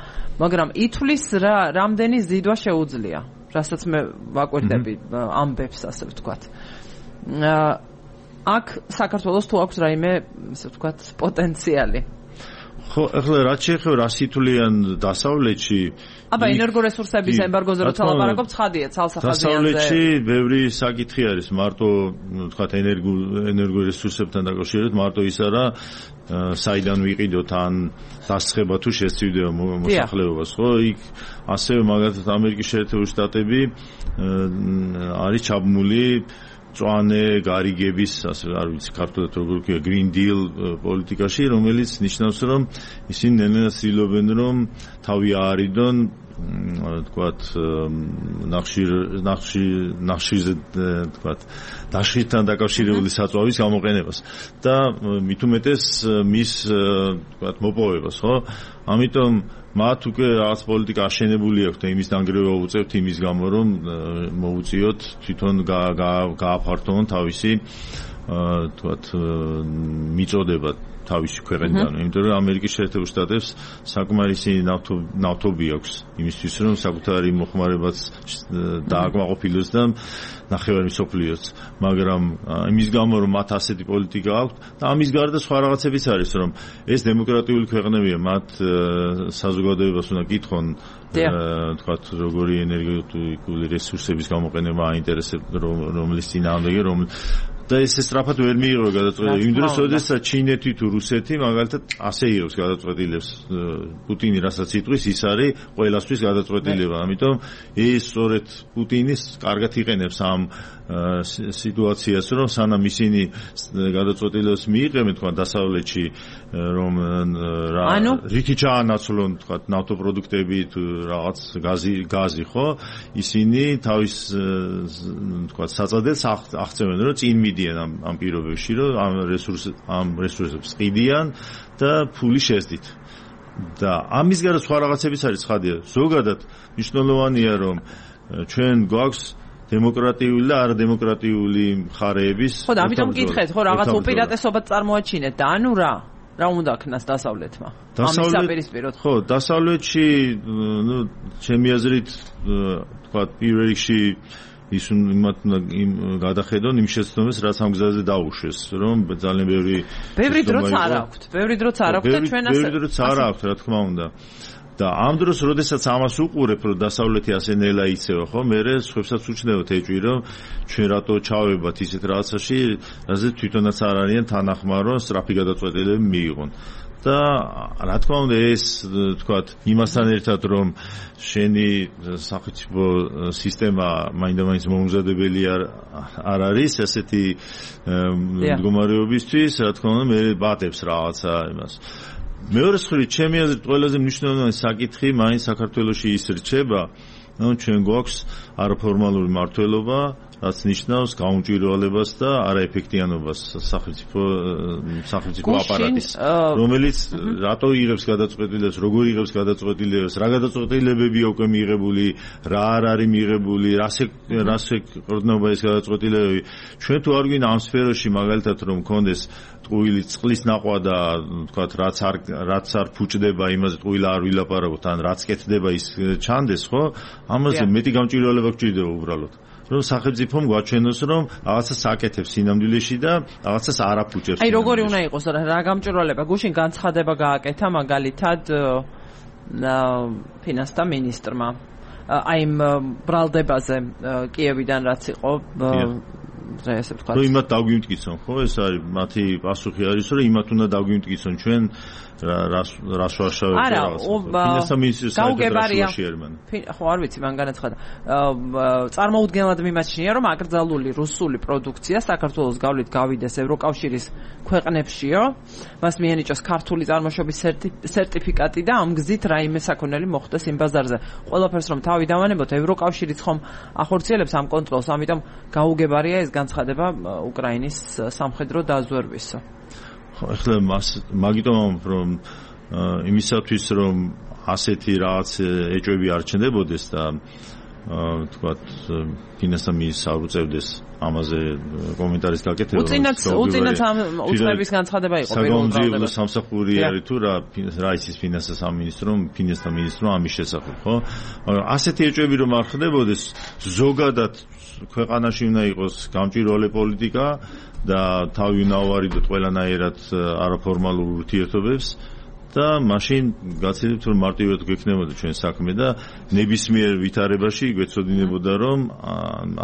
მაგრამ ითვლის რამდენი ზიდვა შეუძლია, რასაც მე ვაკვირდები ამბებს, ასე ვთქვათ. აქ საქართველოს თუ აქვს რაიმე, ასე ვთქვათ, პოტენციალი. ხო, ახლა რაც შეეხება რას ითვლიან დასავლეთში, ენერგორესურსების ემბარგოზე როცა ლაპარაკობ, ცხადია, ცალსახაზიანზე. დასავლეთში ბევრი საკითხი არის, მარტო, ვთქვათ, ენერგორესურსებთან დაკავშირებით, მარტო ის არა, საიდან ვიყიდოთ ან დასწრება თუ შესწირდება მოსახლეობას, ხო? იქ ასევე მაგალითად ამერიკის შეერთებული შტატები არის ჩაბმული წვანე გარიგების, ასე არ ვიცი ქართულად როგორ ქვია, Green Deal პოლიტიკაში, რომელიც ნიშნავს, რომ ისინი ნელ-ნელა ცდილობენ, რომ თავი აარიდონ, თქვათ, ნახშირზე, თქვათ, დაშლისთან დაკავშირებული საწვავის გამოყენებას და მით უმეტეს მის, თქვათ, მოპოვებას, ხო? ამიტომ მათ უკვე რაღაც პოლიტიკა აშენებული აქვს და იმის დანგრევა უწევთ იმის გამო რომ მოუწიოთ თვითონ გააფართოვონ თავისი თქვათ მიწოდება თავისი ქვეყნიდან. იმიტომ რომ ამერიკის შეერთებულ შტატებს საკმარისი ნავთობი აქვს იმისთვის რომ საკუთარი მოხმარებაც დააკმაყოფილოს და ნახევარი მსოფლიოც. მაგრამ იმის გამო რომ მათ ასეთი პოლიტიკა აქვს და ამის გარდა სხვა რაღაცებიც არის რომ ეს დემოკრატიული ქვეყნებია, მათ საზოგადოებას უნდა კითხონ თქვათ როგორი ენერგეტიკული რესურსების გამოყენება აინტერესებს რომლის წინააღმდეგი და ეს სწრაფად ვერ მიიღო გადაწყვეტილება. იმ დროს, როდესაც ჩინეთი თუ რუსეთი მაგალითად ასე იღებს გადაწყვეტილებას, პუტინი რასაც იტყვის, ის არის ყველასთვის გადაწყვეტილება. ამიტომ ეს სწორედ პუტინის კარგად იყენებს ამ სიტუაციას, რომ სანამ ისინი გადაწყვეტილებას მიიღებენ, თქვა დასავლეთში, რომ რითი ჩაანაცვლონ, თქვა ნავთობპროდუქტები თუ რაღაც გაზი, ხო? ისინი თავის თქვა საწადელს აღწევენ, რომ წინ მიდიან ამ პირობებში, რომ ამ რესურსებს ყიდიან და ფული შეძდით. და ამის გარდა სხვა რაღაცებიც არის ცხადია. ზოგადად მნიშვნელოვანია, რომ ჩვენ გვაქვს დემოკრატიული და არადემოკრატიული მხარეების. ხო, და ამიტომ მკითხეთ, ხო, რაღაც უპირატესობად წარმოაჩინეთ და ანუ რა უნდა ქნას დასავლეთმა? ამის საპირისპიროდ. ხო, დასავლეთში, ჩემი აზრით, თქვა პირველ რიგში ის იმათ გადახედონ იმ შეცდომებს, რაც ამ გზაზე დაუშვეს, რომ ძალიან ბევრი დროც არ აქვთ. ბევრი დროც არ აქვთ და ჩვენ ასე. ბევრი დროც არ აქვთ, რა თქმა უნდა. და ამ დროს, როდესაც ამას უყურებ, რომ დასავლეთი ასე ნელა იცევა, ხო, მერე სხვებსაც უჩნევთ ეჭვი, რომ ჩვენ რატო ჩავებათ ისეთ რაღაცაში, რაზეც თვითონაც არ არიან თანახმარ, რომ სწრაფი გადაწყვეტილებები მიიღონ. და რა თქმა უნდა ეს თქვათ იმასთან ერთად რომ შენი სახელმწიფო სისტემა მაინდა-მაინც მომზადებელი არ არის ასეთი მდგომარეობისთვის, რა თქმა უნდა მე ბატებს რაღაცა იმას. მეორე მხრივ ჩემი აზრით ყველაზე მნიშვნელოვანი საკითხი მაინც საქართველოში ის რჩება, რომ ჩვენ გვაქვს არაფორმალური მმართველობა, რაც ნიშნავს გაუმჭვირვალებას და არაეფექტიანობას სახელმწიფო აპარატის, რომელიც რატო იღებს გადაწყვეტილებას, როგორ იღებს გადაწყვეტილებას, რა გადაწყვეტილებებია უკვე მიღებული, რა არ არის მიღებული, რას ეკორდნობა ეს გადაწყვეტილებები. ჩვენ თუ არ გვინდა ამ სფეროში მაგალითად რომ მქონდეს ტყუილი წყლის ნახვა და თქვათ რაც არ ფუჭდება იმაზე ტყუილა არ ვილაპარაკოთ ან რაც კეთდება ის ჩანდეს ხო ამაზე მეტი გამჭვირვალება გვჭირდება უბრალოდ რომ სახელმწიფომ გვაჩვენოს რომ რაღაცას აკეთებს სინამდვილეში და რაღაცას არ აფუჭებს აი როგორი უნდა იყოს რა გამჭვირვალება გუშინ განცხადება გააკეთა მაგალითად ფინანსთა მინისტრმა აი ბრალდებაზე კიევიდან რაც იყო ესე ვთქვათ. რომ იმათ დაგვიმტკიცონ, ხო? ეს არის მათი პასუხი არის, რომ იმათ უნდა დაგვიმტკიცონ ჩვენ რას ვარშავებთ რაღაც. ფინანსთა მინისტრის საერთაშორისო ხო, არ ვიცი, მან განაცხადა. წარმოუდგენლად მიმაჩნია, რომ აკრძალული რუსული პროდუქცია საქართველოს გავლით გავიდეს ევროკავშირის ქვეყნებშიო. მას მიენიჭოს ქართული წარმოშობის სერტიფიკატი და ამ გზით რაიმე საქონელი მოხდეს იმ ბაზარზე. ყველაფერს რომ თავი დავანებოთ, ევროკავშირიც ხომ ახორციელებს ამ კონტროლს, ამიტომ გაუგებარია ეს განცხადება უკრაინის სამხედრო დაზვერვისა. ახლა მაგიტომ რომ იმისათვის რომ ასეთი რაღაც ეჭვები არ ჩნდებოდეს და თქვათ ფინანსთა მინისტრს არ უწევდეს ამაზე კომენტარის გაკეთება. უწინათ უწნების განცხადება იყო პირველ რაუნდში სამსახური არის თუ რა ისის ფინანსთა სამინისტრომ, ფინანსთა მინისტრომ ამის შესახებ, ხო? ასეთი ეჭვები რომ არ ხდებოდეს, ზოგადად ქვეყანაში უნდა იყოს გამჭვირვალე პოლიტიკა და თავი უნდა ავარიდოთ ყველანაირად არაფორმალურ ურთიერთობებს და მაშინ გაცილებით რომ მარტივად გვექნებოდა ჩვენ საქმე და ნებისმიერ ვითარებაში გვეცოდინებოდა რომ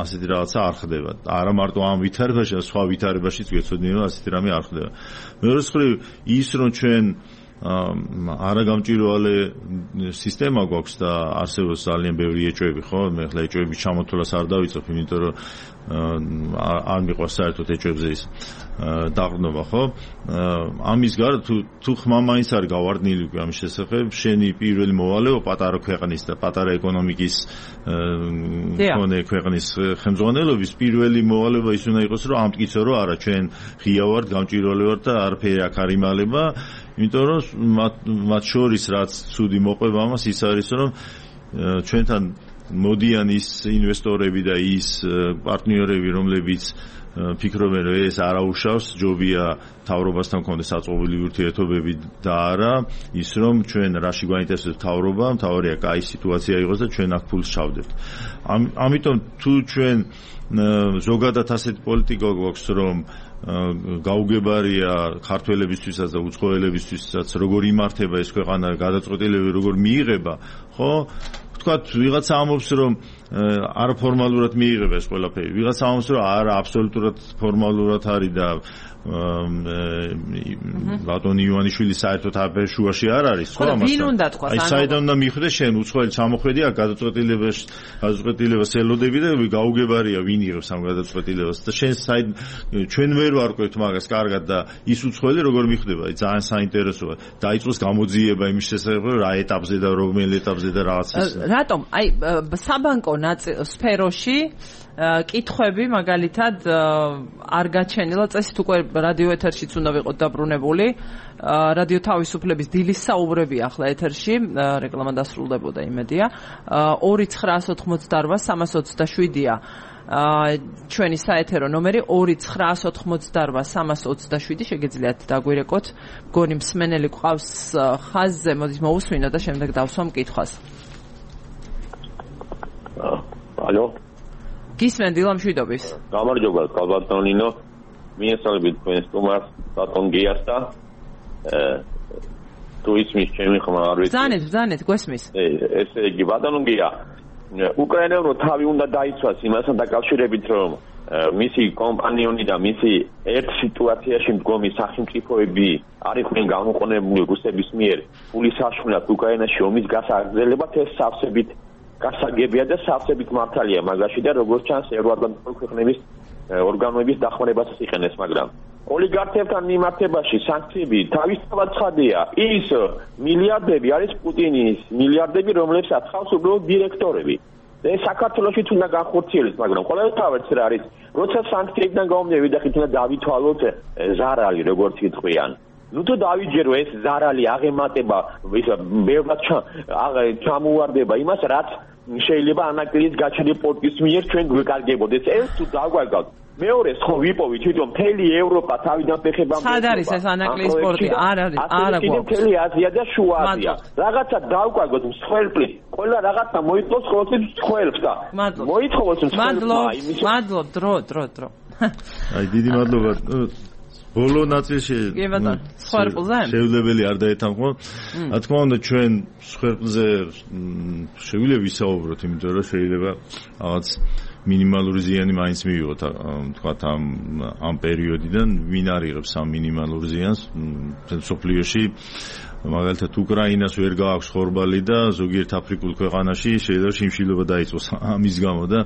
ასეთი რაღაცა არ ხდება. არა მარტო ამ ვითარებაში, სხვა ვითარებაშიც გვეცოდინებოდა ასეთი რამე არ ხდება. მეორე მხრივ ის რომ ჩვენ არაგამჭვირვალე სისტემა გვაქვს და არსებობს ძალიან ბევრი ეჭვები, ხო? მე ახლა ეჭვების ჩამოთვლას არ დავიწყებ, იმიტომ რომ არ მიყვარს საერთოდ ეჭვებზე ის დაყრდნობა, ხო? ამის გარდა თუ ხმა მაინც არ გავარდნილი ამის შესახებ, შენი პირველი მოვალეობა პატარა ქვეყნის და პატარა ეკონომიკის მქონე ქვეყნის ხელმძღვანელობის პირველი მოვალეობა ის უნდა იყოს, რომ ამტკიცო, რომ არა, ჩვენ ღია ვართ, გამჭვირვალე ვართ და არაფერი აქ არ იმალება. იმიტომ რომ მათ შორის რაც ცუდი მოყვება ამას ის არის რომ ჩვენთან მოდიან ის ინვესტორები და ის პარტნიორები რომლებიც ფიქრობენ რომ ეს არაუშავს ჯობია თავრობასთან კონდეს საწყობილი ურთიერთობები და არა ის რომ ჩვენ რაში გვაინტერესებს თავრობა მთავარია კაი სიტუაცია იყოს და ჩვენ აქ ფულს ჩავდებთ ამიტომ თუ ჩვენ ზოგადად ასეთი პოლიტიკა გვაქვს რომ გაუგებარია ქართველებისთვისაც და უცხოელებისთვისაც როგორ იმართება ეს ქვეყანა გადაწყვეტილებები როგორ მიიღება ხო ვთქვათ ვიღაცა ამბობს რომ არაფორმალურად მიიღება ეს ყველაფერი ვიღაცა ამბობს რომ არა აბსოლუტურად ფორმალურად არის და ბატონი ივანიშვილი საერთოდ აფერ შუაში არ არის ხო ამას ვინ უნდა თქვას აი საიდან უნდა მიხვდეს შენ უცხოელი ჩამოხვედია გადაწყვეტილებას ელოდები და გაუგებარია ვინ იღებს ამ გადაწყვეტილებას და შენ საიდან ჩვენ ვერ ვარკვევთ მაგას კარგად და ის უცხოელი როგორ მიხვდება აი ძალიან საინტერესოა დაიწყოს გამოძიება იმის შესახებ რა ეტაპზე და რომელ ეტაპზე და რაღაც ის რატომ აი საბანკო სფეროში კითხვები მაგალითად არ გაჩენილა წესით უკვე რადიო ეთერშიც უნდა ვიყოთ დაბრუნებული რადიო თავისუფლების დილის საუბრები ახლა ეთერში რეკლამა დასრულდებოდა იმედია 2988-327-ია ჩვენი საეთერო ნომერი 2988-327 შეგიძლიათ დაგვირეკოთ მგონი მსმენელი გვყავს ხაზზე მოდით მოусმინოთ და შემდეგ დავსვამ კითხვას ალო გისმენ დილამშვიდობის გამარჯობა კალბატონინო მიესალმებით თქვენ სტუმარს ბატონ გიას და თუ ისმის ჩემი ხმა არ ვიცი ბრძანეთ გვესმის ესე იგი ბატონ გია უკრაინამ რო თავი უნდა დაიცვას იმასთან დაკავშირებით რომ მისი კომპანიონი და მისი ერთ სიტუაციაში მდგომი სახელმწიფოები არ იყვნენ გამოყენებული რუსების მიერ ფულის საშუალად უკრაინაში ომის გასაგრძელებად ეს სავსებით გასაგებია და სავსებით მართალია მაგაში და როგორც ჩანს ევროატლანტიკური ქვეყნების ორგანოების დახმარებასაც იყენებს მაგრამ ოლიგარქებთან მიმართებაში სანქციები თავისთავად ცხადია ის მილიარდები არის პუტინის მილიარდები რომლებსაც ხავს უბრალოდ დირექტორები ეს საქართველოშიც უნდა განხორციელდეს, მაგრამ ყოველთვის რა არის, როცა სანქციებიდან გამომდინარე ვიდახით უნდა დავითვალოთ ზარალი, როგორც იტყვიან. ნუ თუ დავიჯერო ეს ზარალი აღემატება, ისა ბევრად ჩამოვარდება იმას, რაც შეიძლება ანაკლიის გაჩენილი პორტის მიერ ჩვენ გვეკარგებოდეს. ეს თუ დავგვაგავთ მეორე ხო ვიპოვით თვითონ მთელი ევროპა თავიდან ფეხებამდე. სად არის ეს ანაკლიის პორტი? არ არის, არა გვაქვს. მთელი აზია და შუა აზია. რაღაცა დავგვაგოთ მსხვერპლი. ყველა რაღაცა მოიწოს ყოველთვის მსხვერპლს და მოიწოვოს მსხვერპლს. მადლობ, დრო. აი დიდი მადლობა. ბოლო ნაწილში შევლებელი არ დაეთანხმო. რა თქმა უნდა ჩვენ მსხვერპლზე შეგვიძლია ვისაუბროთ, იმიტომ რომ შეიძლება რაღაც მინიმალური ზიანი მაინც მივიღოთ, თქვათ ამ პერიოდიდან ვინ არიღებს ამ მინიმალურ ზიანს სოფლიოში. მაგალითად უკრაინას ვერ გააქვს ხორბალი და ზოგიერთ აფრიკულ ქვეყანაში შეიძლება შიმშილობა დაიწყოს ამის გამო და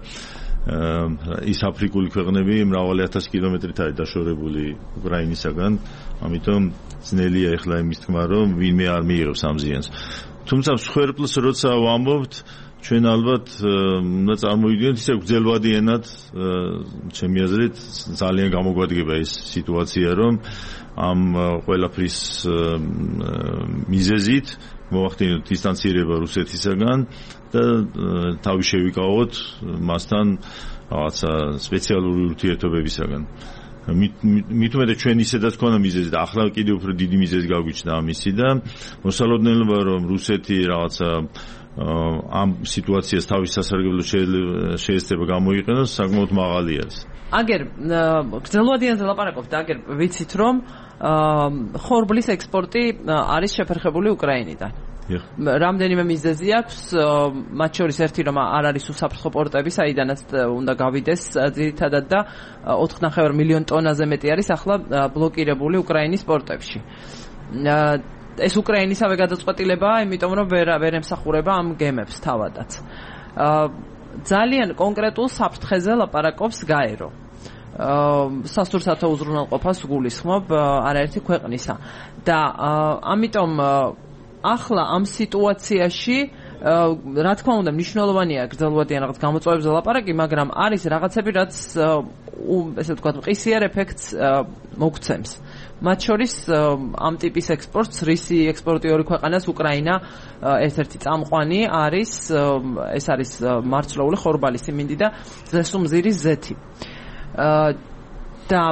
ის აფრიკული ქვეყნები მრავალი 1000 კილომეტრით არის დაშორებული უკრაინისაგან, ამიტომ ძნელია ეხლა იმის თქმა, რომ ვინმე არ მიიღებს ამ ზიანს. თუმცა მსხვერპლს როცა ვამბობთ, ჩვენ ალბათ უნდა წარმოვიდგინოთ ისე გრძელვადი ენად, ჩემი აზრით ძალიან გამოგვადგება ეს სიტუაცია, რომ ამ ყველაფრის მიზეზით მოახდინოთ დისტანცირება რუსეთისაგან და თავი შევიკავოთ მასთან რაღაცა სპეციალური ურთიერთობებისაგან. მით უმეტეს ჩვენ ისედაც ქონა მიზეზი და ახლა კიდევ უფრო დიდი მიზეზი გაგვიჩნდა ამისი და მოსალოდნელობა რომ რუსეთი რაღაცა ამ სიტუაციას თავის სასარგებლოდ შეეცდება გამოიყენოს საკმაოდ მაღალი არის. აგერ გრძელვადიანზე ლაპარაკობთ, აგერ ვიცით რომ ხორბლის ექსპორტი არის შეფერხებული უკრაინიდან. რამდენიმე მიზეზი აქვს, მათ შორის ერთი რომ არ არის უსაფრთხო პორტები, საიდანაც უნდა გავიდეს ძირითადად და 4.5 მილიონ ტონაზე მეტი არის ახლა ბლოკირებული უკრაინის პორტებში. ეს უკრაინისავე გადაწყვეტილებაა, იმიტომ რომ ვერ ემსახურება ამ გემებს თავადაც. ძალიან კონკრეტულ საფრთხეზე ლაპარაკობს გაერო. სასტურსათო უზრუნველყოფას გულისხმობ არაერთი ქვეყნისა და ამიტომ ახლა ამ სიტუაციაში რა თქმა უნდა მნიშვნელოვანია გრძელვადიან რაღაც გამოწვევებზე ლაპარაკი, მაგრამ არის რაღაცები, რაც ესე ვთქვათ, მყისიერ ეფექტს მოგცემს. მათ შორის ამ ტიპის ექსპორტს რისი ექსპორტიორი ქვეყანას უკრაინა ერთ-ერთი წამყვანი არის, ეს არის მარცვლეული ხორბალი, სიმინდი და ზესუმზირის ზეთი. და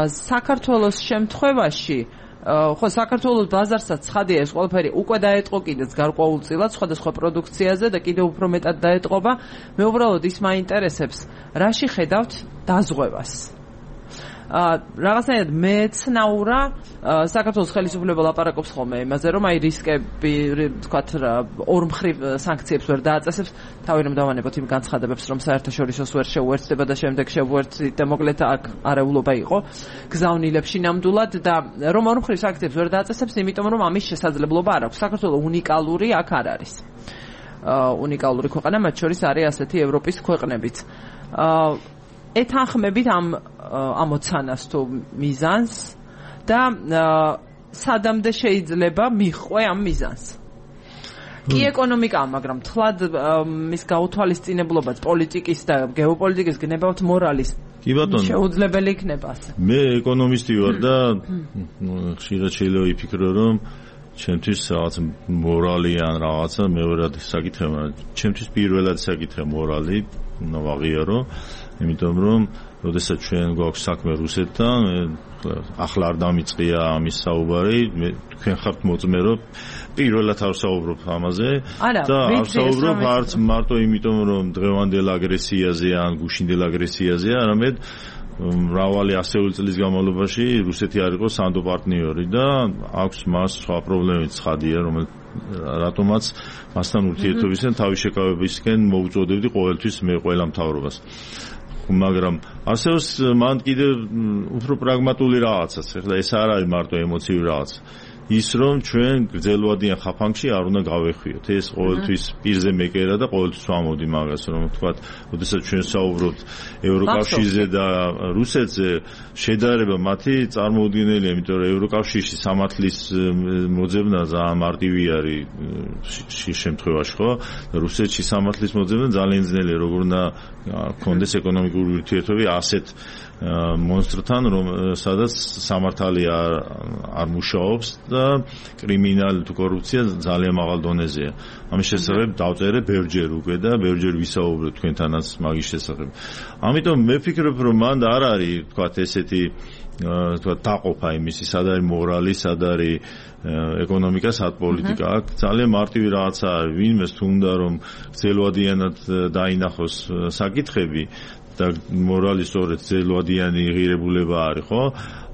საქართველოს შემთხვევაში ხო საქართველოს ბაზარსაც ცხადია ეს ყველაფერი უკვე დაეტყო კიდეც გარკვეულწილად სხვადასხვა პროდუქციაზე და კიდევ უფრო მეტად დაეტყობა. მე უბრალოდ ის მაინტერესებს, რაში ხედავთ დაზღვევას. რაღაცნაირად მეცნაურა საქართველოს ხელისუფლება ლაპარაკობს ხოლმე იმაზე, რომ აი რისკები, თქვათ, ორმხრივ სანქციებს ვერ დააწესებს, თავი რომ დავანებოთ იმ განცხადებებს, რომ საერთაშორისოს ვერ შეუერთდება და შემდეგ შეუერთდა და მოკლედ აქ არეულობა იყო გზავნილებში ნამდვილად და რომ ორმხრივ სანქციებს ვერ დააწესებს, იმიტომ რომ ამის შესაძლებლობა არ აქვს. საქართველოს უნიკალური აქ არ არის. უნიკალური ქვეყანა, მათ შორის არის ასეთი ევროპის ქვეყნებიც. ეთანხმებით ამ ამოცანას თუ მიზანს და სადამდე შეიძლება მიხვე ამ მიზანს. კი ეკონომიკა, მაგრამ თლად მის გაუთვალისწინებლობაც პოლიტიკის და გეოპოლიტიკის გნებავთ მორალის. კი ბატონო. შეუძლებელი იქნება ასე. მე ეკონომისტი ვარ და ხშირად შეიძლება ვიფიქრო, რომ ჩემთვის რაღაც მორალი ან რაღაცა მეორად საკითხია, მაგრამ ჩემთვის პირველად საკითხია მორალი, უნდა ვაღიარო. იმიტომ რომ როდესაც ჩვენ გვაქვს საქმე რუსეთთან, ახლა არ დამიწყია ამის საუბარი, თქვენ ხართ მოწმე, რომ პირველად არ ვსაუბრობ ამაზე და არ ვსაუბრობ არც მარტო იმიტომ, რომ დღევანდელ აგრესიაზე ან გუშინდელ აგრესიაზე, არამედ მრავალი ასეული წლის განმავლობაში რუსეთი არ იყო სანდო პარტნიორი და აქვს მას სხვა პრობლემებიც ცხადია, რატომაც მასთან ურთიერთობისკენ თავის შეკავებისკენ მოუწოდებდი ყოველთვის მე ყველა მთავრობას. მაგრამ არსებობს მან კიდევ უფრო პრაგმატული რაღაცაც. ეხლა ეს არ არის მარტო ემოციური რაღაც. ის რომ ჩვენ გრძელვადიან ხაფანგში არ უნდა გავეხვიოთ. ეს ყოველთვის პირზე მეკერა და ყოველთვის ვამბობდი მაგას, რომ თქვათ, როდესაც ჩვენ საუბრობთ ევროკავშირზე და რუსეთზე, შედარება მათი წარმოუდგენელია, იმიტომ რომ ევროკავშირში სამართლის მოძებნა ძალიან მარტივი არის შემთხვევაში, ხო? რუსეთში სამართლის მოძებნა ძალიან ძნელია, როგორ უნდა კონდეს ეკონომიკური ურთიერთობები ასეთ მონსტრთან, სადაც სამართალი არ მუშაობს და კრიმინალი თუ კორუფცია ძალიან მაღალ დონეზეა. ამის შესახებ დავწერე ბევრჯერ უკვე და ბევრჯერ ვისაუბრებ თქვენთანაც მაგის შესახებ. ამიტომ მე ვფიქრობ, რომ მან არ არის, თქვათ, ესეთი თქვათ დაყოფა იმისი, სად არის მორალი, სად არის ეკონომიკა, სად პოლიტიკა. აქ ძალიან მარტივი რაღაცა არის. ვინმეს თუ უნდა რომ გრძელვადიანად დაინახოს საკითხები და მორალი სწორედ ძელვადიანი ღირებულება არის, ხო?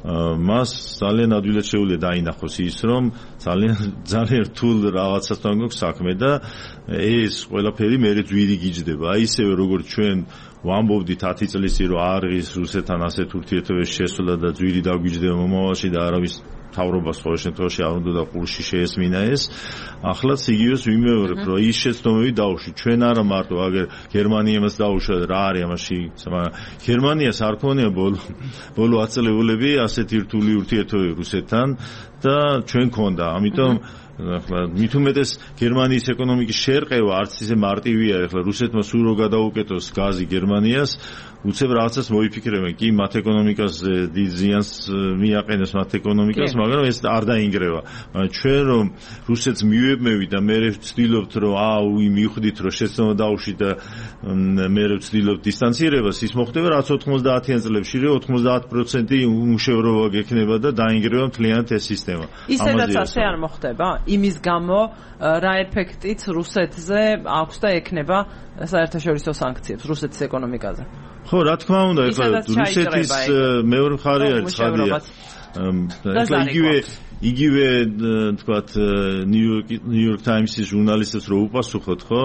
მას ძალიან ადვილად შეუძლია დაინახოს ის, რომ ძალიან რთულ რაღაცასთან გვაქვს საქმე და ეს ყველაფერი მერე ძვირი გიჯდება. აი ისევე როგორც ჩვენ ვამბობდით 10 წლის წინ, რომ არ ღირს რუსეთთან ასეთ ურთიერთობებში შესვლა და ძვირი დაგვიჯდება მომავალში და არავის თავრობას ყოველ შემთხვევაში არ უნდა და ყურში შეესმინა ეს. ახლაც იგივეს ვიმეორებ, რომ ის შეცდომები დაუშვით. ჩვენ არა მარტო აგერ გერმანიამაც დაუშვა რა არის ამაში, გერმანიას არ ქონია ბოლო აწელებულები ასეთი რთული ურთიერთობები რუსეთთან და ჩვენ ქონდა. ამიტომ ახლა მით უმეტეს გერმანიის ეკონომიკის შერყევა არც ისე მარტივია. ახლა რუსეთმა სულ რო გადაუკეთოს გაზი გერმანიას, უცებ რაღაცას მოიფიქრებენ, კი მათ ეკონომიკას დიდ ზიანს მიაყენებს მათ ეკონომიკას, მაგრამ ეს არ დაინგრევა. ჩვენ რომ რუსეთს მივებმევით და მე ვცდილობთ რომ მივხვდით რომ შეცდომა დაუშვით და მე ვცდილობთ დისტანცირებას, ის მოხდება რაც 90-იან წლებში, რომ 90% უმუშევრობა გექნება და დაინგრევა მთლიანად ეს სისტემა. ისედაც ასე არ მოხდება? იმის გამო რა ეფექტიც რუსეთზე აქვს და ექნება საერთაშორისო სანქციებს რუსეთის ეკონომიკაზე? ხო, რა თქმა უნდა, ეხლა რუსეთის მეორე მხარე არის ცხადია. ეხლა იგივე თქვათ ნიუ-იორკ ტაიმსის ჟურნალისტებს რო უპასუხოთ, ხო,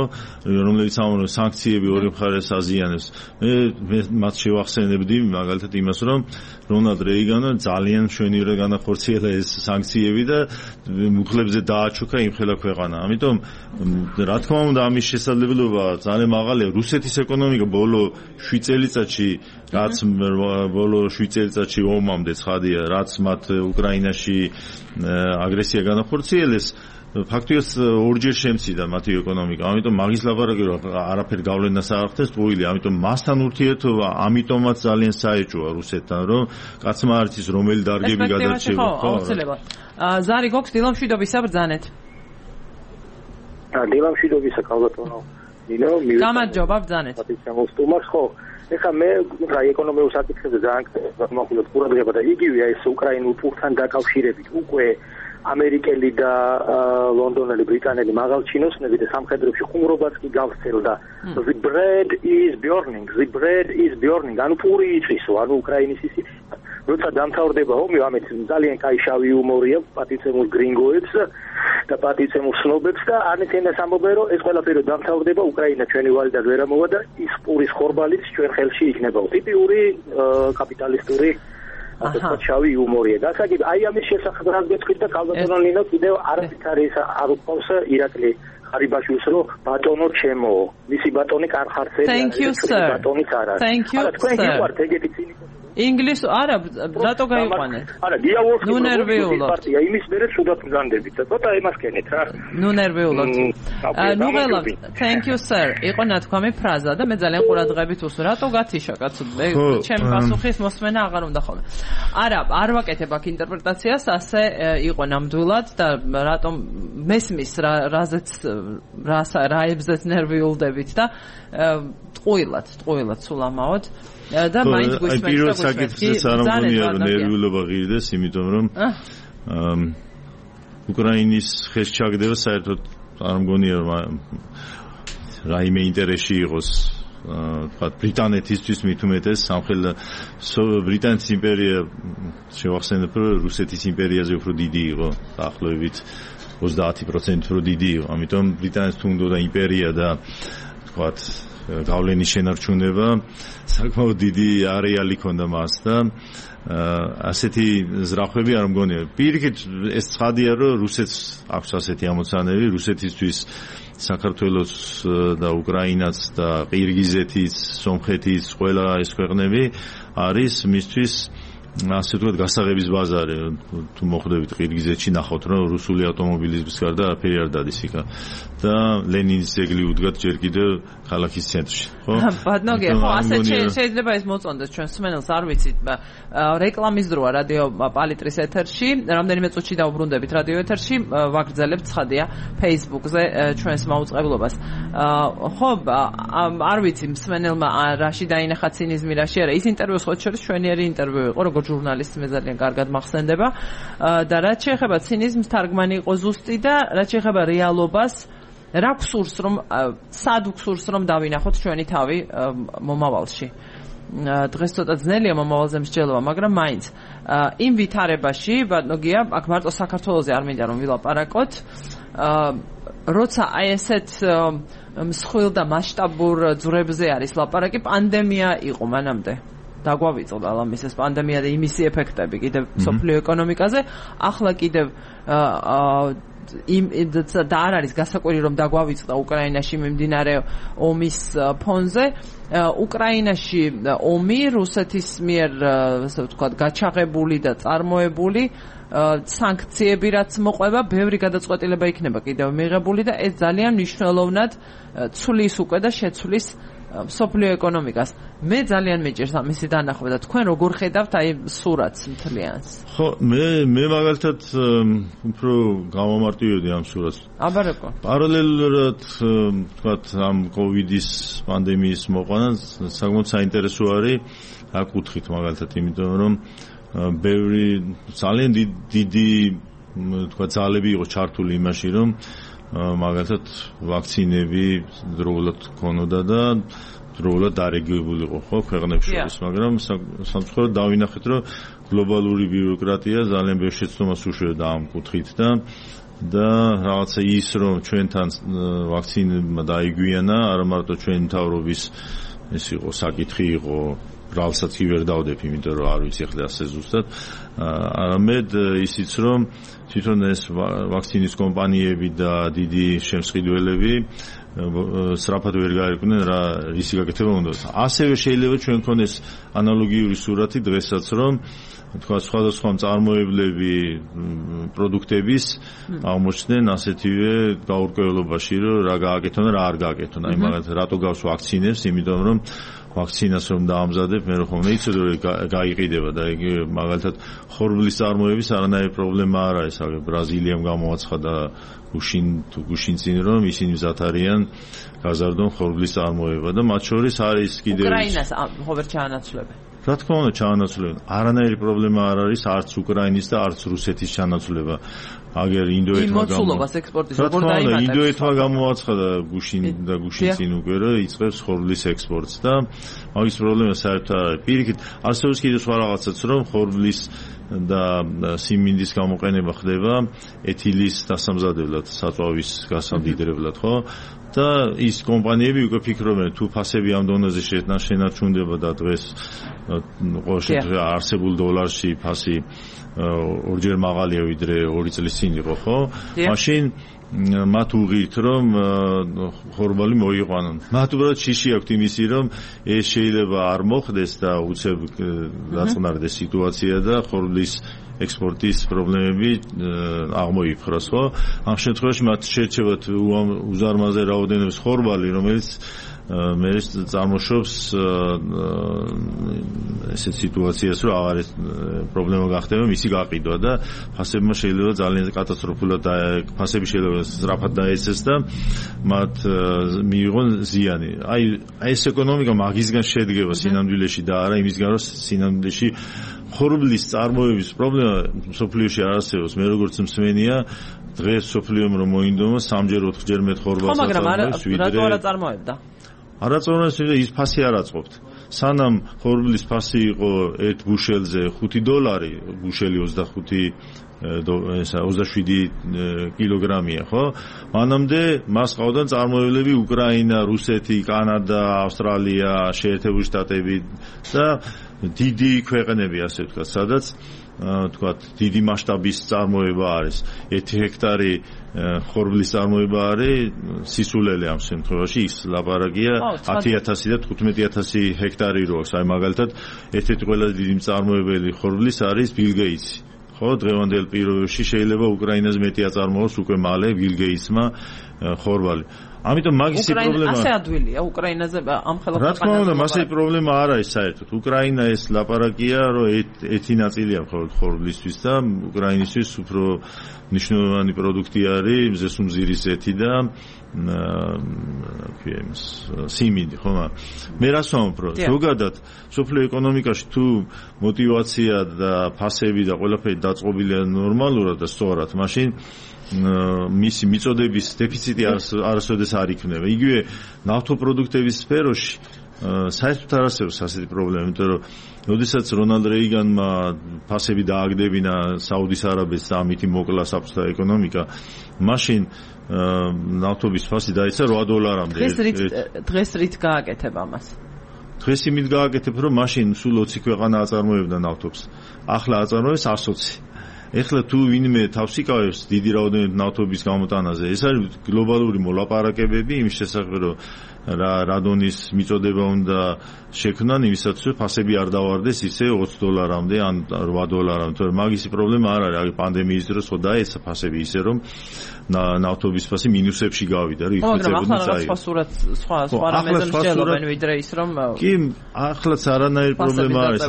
რომელიც ამბობს სანქციები ორი მხარეს აზიანებს. მე მათ შევახსენებდი მაგალითად იმას, რომ რონალდ რეიგანმა ძალიან მშვენივრად განახორციელა ეს სანქციები და მუხლებზე დააჩუქა იმხელა ქვეყანა. ამიტომ რა თქმა უნდა ამის შესაძლებლობა ძალიან მაღალია. რუსეთის ეკონომიკა ბოლო 7 წელიწადში რაც ბოლო 7 წელიწადში ომამდე ცხადია, რაც მათ უკრაინაში აგრესია განახორციელეს, ფაქტიურად ორჯერ შემცირდა მათი ეკონომიკა. ამიტომ მაგის ლაბორატორია რომ არაფერ გავლენას არ ახდენს ტყუილი. ამიტომ მასთან ურთიერთობა ამიტომაც ძალიან საეჭვოა რუსეთთან, რომ კაცმა არ იცის რომელი დარგები გადარჩება. ხო, აუცილებლად. ზარი გოქს დილამშვიდობისა ბრძანეთ. დილამშვიდობისა ქალბატონო. გამარჯობა ბრძანეთ. მოსტუმარს ხო. ეხლა მე რა ეკონომიურ საკითხებზე ძალიან გამახვილოთ ყურადღება და იგივეა ეს უკრაინულ პურთან დაკავშირებით უკვე ამერიკელი და ლონდონელი ბრიტანელი მაღალჩინოსნები და სამხედროებში ხუმრობაც კი გავრცელდა. The bread is burning. ანუ პური იწისო, ანუ უკრაინის ისი როცა დამთავრდება ომი, ამეთ ძალიან კაი შავი იუმორია პატიცემულ გრინგოებს და პატიცემულ სნობებს და ანეთენას ამბობენ, რომ ეს ყველაფერი დამთავრდება, უკრაინა ჩვენი ვალიდად ვერ ამოვა და ის პურის ხორბალიც ჩვენ ხელში იქნება. ტიპიური კაპიტალისტური ასეთ შავი იუმორია. გასაგებ აი ამის შესახებ რაც გეტყვით და ქალბატონო ნინო კიდევ არაფერი არ უყავს ირაკლი ხარიბაშვილს, რომ ბატონო ჩემო, მისი ბატონი კარხარცელი ბატონიც არ არის. არა თქვენ გიყვართ ეგეთი ცინიკო ინგლისო არა რატო გაიყვანეთ? არა დიალოგური პარტია იმის მერე სულად გზანდებით და ცოტა ემასკენეთ რა. ნუ ნერვიულობთ. ნუ ღელავთ. Thank you sir. იყო ნათქვამი ფრაზა და მე ძალიან ყურადღებით უსმენ. რატო გათიშა კაცო? ჩემი პასუხის მოსმენა აღარ უნდა ხოლმე. არა, არ ვაკეთებ აქ ინტერპრეტაციას, ასე იყო ნამდვილად და რატომ მესმის რაზეც რაებზეც ნერვიულდებით და ტყუილად სულ ამაოდ. და მაინც გვისმენთ და პირველ საკითხზეც არ მგონია რომ ნერვიულობა ღირდეს, იმიტომ რომ უკრაინის ხეს ჩაგდება საერთოდ არ მგონია რომ რაიმე ინტერესი იყოს თქვათ ბრიტანეთისთვის მით უმეტეს სამხედრო ბრიტანეთის იმპერია შევახსენებ რომ რუსეთის იმპერიაზე უფრო დიდი იყო დაახლოებით 30% უფრო დიდი იყო, ამიტომ ბრიტანეთს თუ უნდა იმპერია და თქვათ გავლენის შენარჩუნება საკმაოდ დიდი არეალი ქონდა მას და ასეთი ზრახვები არ მგონია. პირიქით ეს ცხადია, რომ რუსეთს აქვს ასეთი ამოცანები, რუსეთისთვის საქართველოს და უკრაინაც და ყირგიზეთის, სომხეთის ყველა ეს ქვეყნები არის მისთვის ასე ვთქვათ გასაღების ბაზარი. თუ მოხვდებით ყირგიზეთში ნახავთ, რომ რუსული ავტომობილების გარდა არაფერი არ დადის იქა და ლენინის ძეგლი უდგათ ჯერ კიდევ ქალაქის ცენტრში, ხო? ბატონო, ხო, ასე შეიძლება ეს მოწონდეს ჩვენ სმენელს, არ ვიცით, რეკლამის დროა რადიო პალიტრის ეთერში, რამდენიმე წუთში დავბრუნდებით რადიო ეთერში, ვაგრძელებთ ცხადია Facebook-ზე ჩვენს მაუწყებლობას. ხო, არ ვიცი, სმენელმა რაში დაინახა ცინიზმი, რაში არა. ის ინტერვიუს ხოთ შორის ჩვენიერი ინტერვიუ იყო, როგორც ჟურნალისტი მე ძალიან კარგად მახსენდება და რაც შეეხება ცინიზმს, თარგმანი იყო ზუსტი და რაც შეეხება რეალობას, რა გსურს რომ სად გსურს რომ დავინახოთ ჩვენი თავი მომავალში. დღეს ცოტა ძნელია მომავალზე მსჯელობა, მაგრამ მაინც იმ ვითარებაში, ბატონო გია, აქ მარტო საქართველოზე არ მინდა რომ ვილაპარაკოთ, როცა აი ესეთ მსხვილ და მასშტაბურ ძვრებზე არის ლაპარაკი, პანდემია იყო მანამდე. დაგვავიწყდა ამის ეს პანდემია და იმისი ეფექტები კიდევ სოფლიო ეკონომიკაზე, ახლა კიდევ და არ არის გასაკვირი რომ დაგვავიწყდა უკრაინაში მიმდინარე ომის ფონზე. უკრაინაში ომი რუსეთის მიერ ასე ვთქვათ გაჩაღებული და წარმოებული სანქციები რაც მოყვება, ბევრი გადაწყვეტილება იქნება კიდევ მიღებული და ეს ძალიან მნიშვნელოვნად ცვლის უკვე და შეცვლის სოფლიო ეკონომიკას. მე ძალიან მეჭირს ამისი დანახვა და თქვენ როგორ ხედავთ აი სურათს მთლიანს? ხო, მე მაგალითად უფრო გამომარტივებდი ამ სურათს. აბარეკო. პარალელურად თქვათ ამ კოვიდის პანდემიის მოყვანა საკმაოდ საინტერესო არის აქ კუთხით მაგალითად, იმიტომ რომ ბევრი ძალიან დიდი თქვათ ძალები იყო ჩართული იმაში, რომ მაგალითად ვაქცინები დროულად ქონოდა და დროულად დარეგულირებული იყო ხო ქვეყნებს შორის, მაგრამ სამწუხაროდ დავინახეთ, რომ გლობალური ბიუროკრატია ძალიან ბევრ შეცდომას უშევდა ამ კუთხით და რაღაცა ის რომ ჩვენთან ვაქცინა დაიგვიანა, არა მარტო ჩვენ მთავრობის ეს იყო საკითხი იყო, ბრალსაც კი ვერ დავდებ, იმიტომ რომ არ ვიცი ახლა ასე ზუსტად, არამედ ისიც რომ თვითონ ეს ვაქცინის კომპანიები და დიდი შემსყიდველები სწრაფად ვერ გაერკვნენ რა რისი გაკეთება უნდა. ასევე შეიძლება ჩვენ გქონდეს ანალოგიური სურათი დღესაც, რომ თქვა სხვადასხვა მწარმოებლები პროდუქტების აღმოჩნდნენ ასეთივე გაურკვევლობაში, რომ რა გააკეთონ და რა არ გააკეთონ. აი მაგალითად რატო გავს ვაქცინებს, იმიტომ რომ ვაქცინას რომ დაამზადებ, მე რომ იცოდე რომ გაიყიდება და იგი მაგალითად ხორბლის წარმოების არანაირი პრობლემა არ არის. ბრაზილიამ გამოაცხადა გუშინწინ რომ ისინი მზად არიან გაზარდონ ხორბლის წარმოება და მათ შორის არის კიდევ უკრაინას ხო ვერ ჩაანაცვლებენ. რა თქმა უნდა ჩაანაცვლებენ. არანაირი პრობლემა არ არის არც უკრაინის და არც რუსეთის ჩანაცვლება. აგერ ინდოეთმა გამოაცხადა გუშინწინ უკვე რომ იწყებს ხორბლის ექსპორტს და მაგის პრობლემა საერთოდ არ არის. პირიქით არსებობს კიდევ სხვა რაღაცაც, რომ ხორბლის და სიმინდის გამოყენება ხდება ეთილის დასამზადებლად, საწვავის გასამდიდრებლად, ხო? და ის კომპანიები უკვე ფიქრობენ, თუ ფასები ამ დონეზე შენარჩუნდება და დღეს ყოველ შემთხვევაში არსებულ დოლარში ფასი ორჯერ მაღალია ვიდრე 2 წლის წინ იყო, ხო? მაშინ მათ უღირთ რომ ხორბალი მოიყვანონ. მათ უბრალოდ შიში აქვთ იმისი რომ ეს შეიძლება არ მოხდეს და უცებ დაწყნარდეს სიტუაცია და ხორბლის ექსპორტის პრობლემები აღმოიფხვრას, ხო? ამ შემთხვევაში მათ შეერჩევათ უზარმაზე რაოდენობის ხორბალი, რომელიც მე წარმოშობს ესეთ სიტუაციას, რომ აღარ პრობლემა გახდება მისი გაყიდვა და ფასებმა შეიძლება ძალიან კატასტროფულად ფასები შეიძლება სწრაფად დაეცეს და მათ მიიღონ ზიანი. აი ეს ეკონომიკა მაგისგან შედგება სინამდვილეში და არა იმისგან, რომ სინამდვილეში ხორბლის წარმოების პრობლემა სოფლიოში არ არსებობს. მე როგორც მსმენია, დღეს სოფლიომ რომ მოინდომა 3-ჯერ 4-ჯერ მეტ ხორბალს აწარმოებს ვიდრე. რატო არა წარმოებდა? არაწორმოებს ის ფასი არ აწყობთ. სანამ ხორბლის ფასი იყო ერთ ბუშელზე $5, ბუშელი 27 კილოგრამია, ხო? მანამდე მას ყავდა წარმოებლები უკრაინა, რუსეთი, კანადა, ავსტრალია, შეერთებული შტატები და დიდი ქვეყნები, ასე ვთქვათ, სადაც თქვათ დიდი მასშტაბის წარმოება არის. 1 ჰექტარი ხორბლის წარმოება არის სისულელე ამ შემთხვევაში ის ლაპარაკია 10,000 და 15,000 ჰექტარი როას. აი მაგალითად ერთ-ერთი ყველაზე დიდი მწარმოებელი ხორბლის არის ბილ გეიტსი. ხო, დღევანდელ პირობებში შეიძლება უკრაინას მეტი აწარმოოს უკვე მალე ბილ გეიტსმა ხორბალი. ამიტომ მაგისი პრობლემა ასე ადვილია უკრაინაზე ამ ხელოვნებად. რა თქმა უნდა, მასე პრობლემა არ არის საერთოდ. უკრაინა ეს ლაპარაკია, რომ ერთი ნაწილია მხოლოდ ხორბლისთვის და უკრაინისთვის უფრო მნიშვნელოვანი პროდუქტი არის მზესუმზირის ზეთი და სიმინდი, ხო? მე რას ვამბობ, რომ ზოგადად სოფლიო ეკონომიკაში თუ мотиваცია და ფასები და ყველაფერი დაწყობილია ნორმალურად და სწორად, მაშინ მისი მიწოდების დეფიციტი არასოდეს არ იქნება. იგივე ნავთობპროდუქტების სფეროში საერთოდ არ არსებობს ასეთი პრობლემა, იმიტომ რომ როდესაც რონალდ რეიგანმა ფასები დააგდებინა საუდის არაბეთს და ამით მოკლა საბჭოთა ეკონომიკა, მაშინ ნავთობის ფასი დაიცა $8-მდე. დღეს რით გააკეთებ ამას? დღეს იმით გააკეთებ, რომ მაშინ სულ 20 ქვეყანა აწარმოებდა ნავთობს. ახლა აწარმოებს 120. ეხლა თუ ვინმე თავს იკავებს დიდი რაოდენობით ნავთობის გამოტანაზე, ეს არის გლობალური მოლაპარაკებები იმის შესახებ, რომ რა დონის მიწოდება უნდა შექმნან იმისათვის, რომ ფასები არ დავარდეს ისე $20-მდე ან $8-მდე. თორემ მაგისი პრობლემა არ არის. აი პანდემიის დროს ხო დაეცა ფასები ისე, რომ ნავთობის ფასი მინუსებში გავიდა, რომ იხმებოდნენ წაიღო. სხვა რამეზე მსჯელობენ ვიდრე ის, რომ კი, ახლაც არანაირი პრობლემა არის.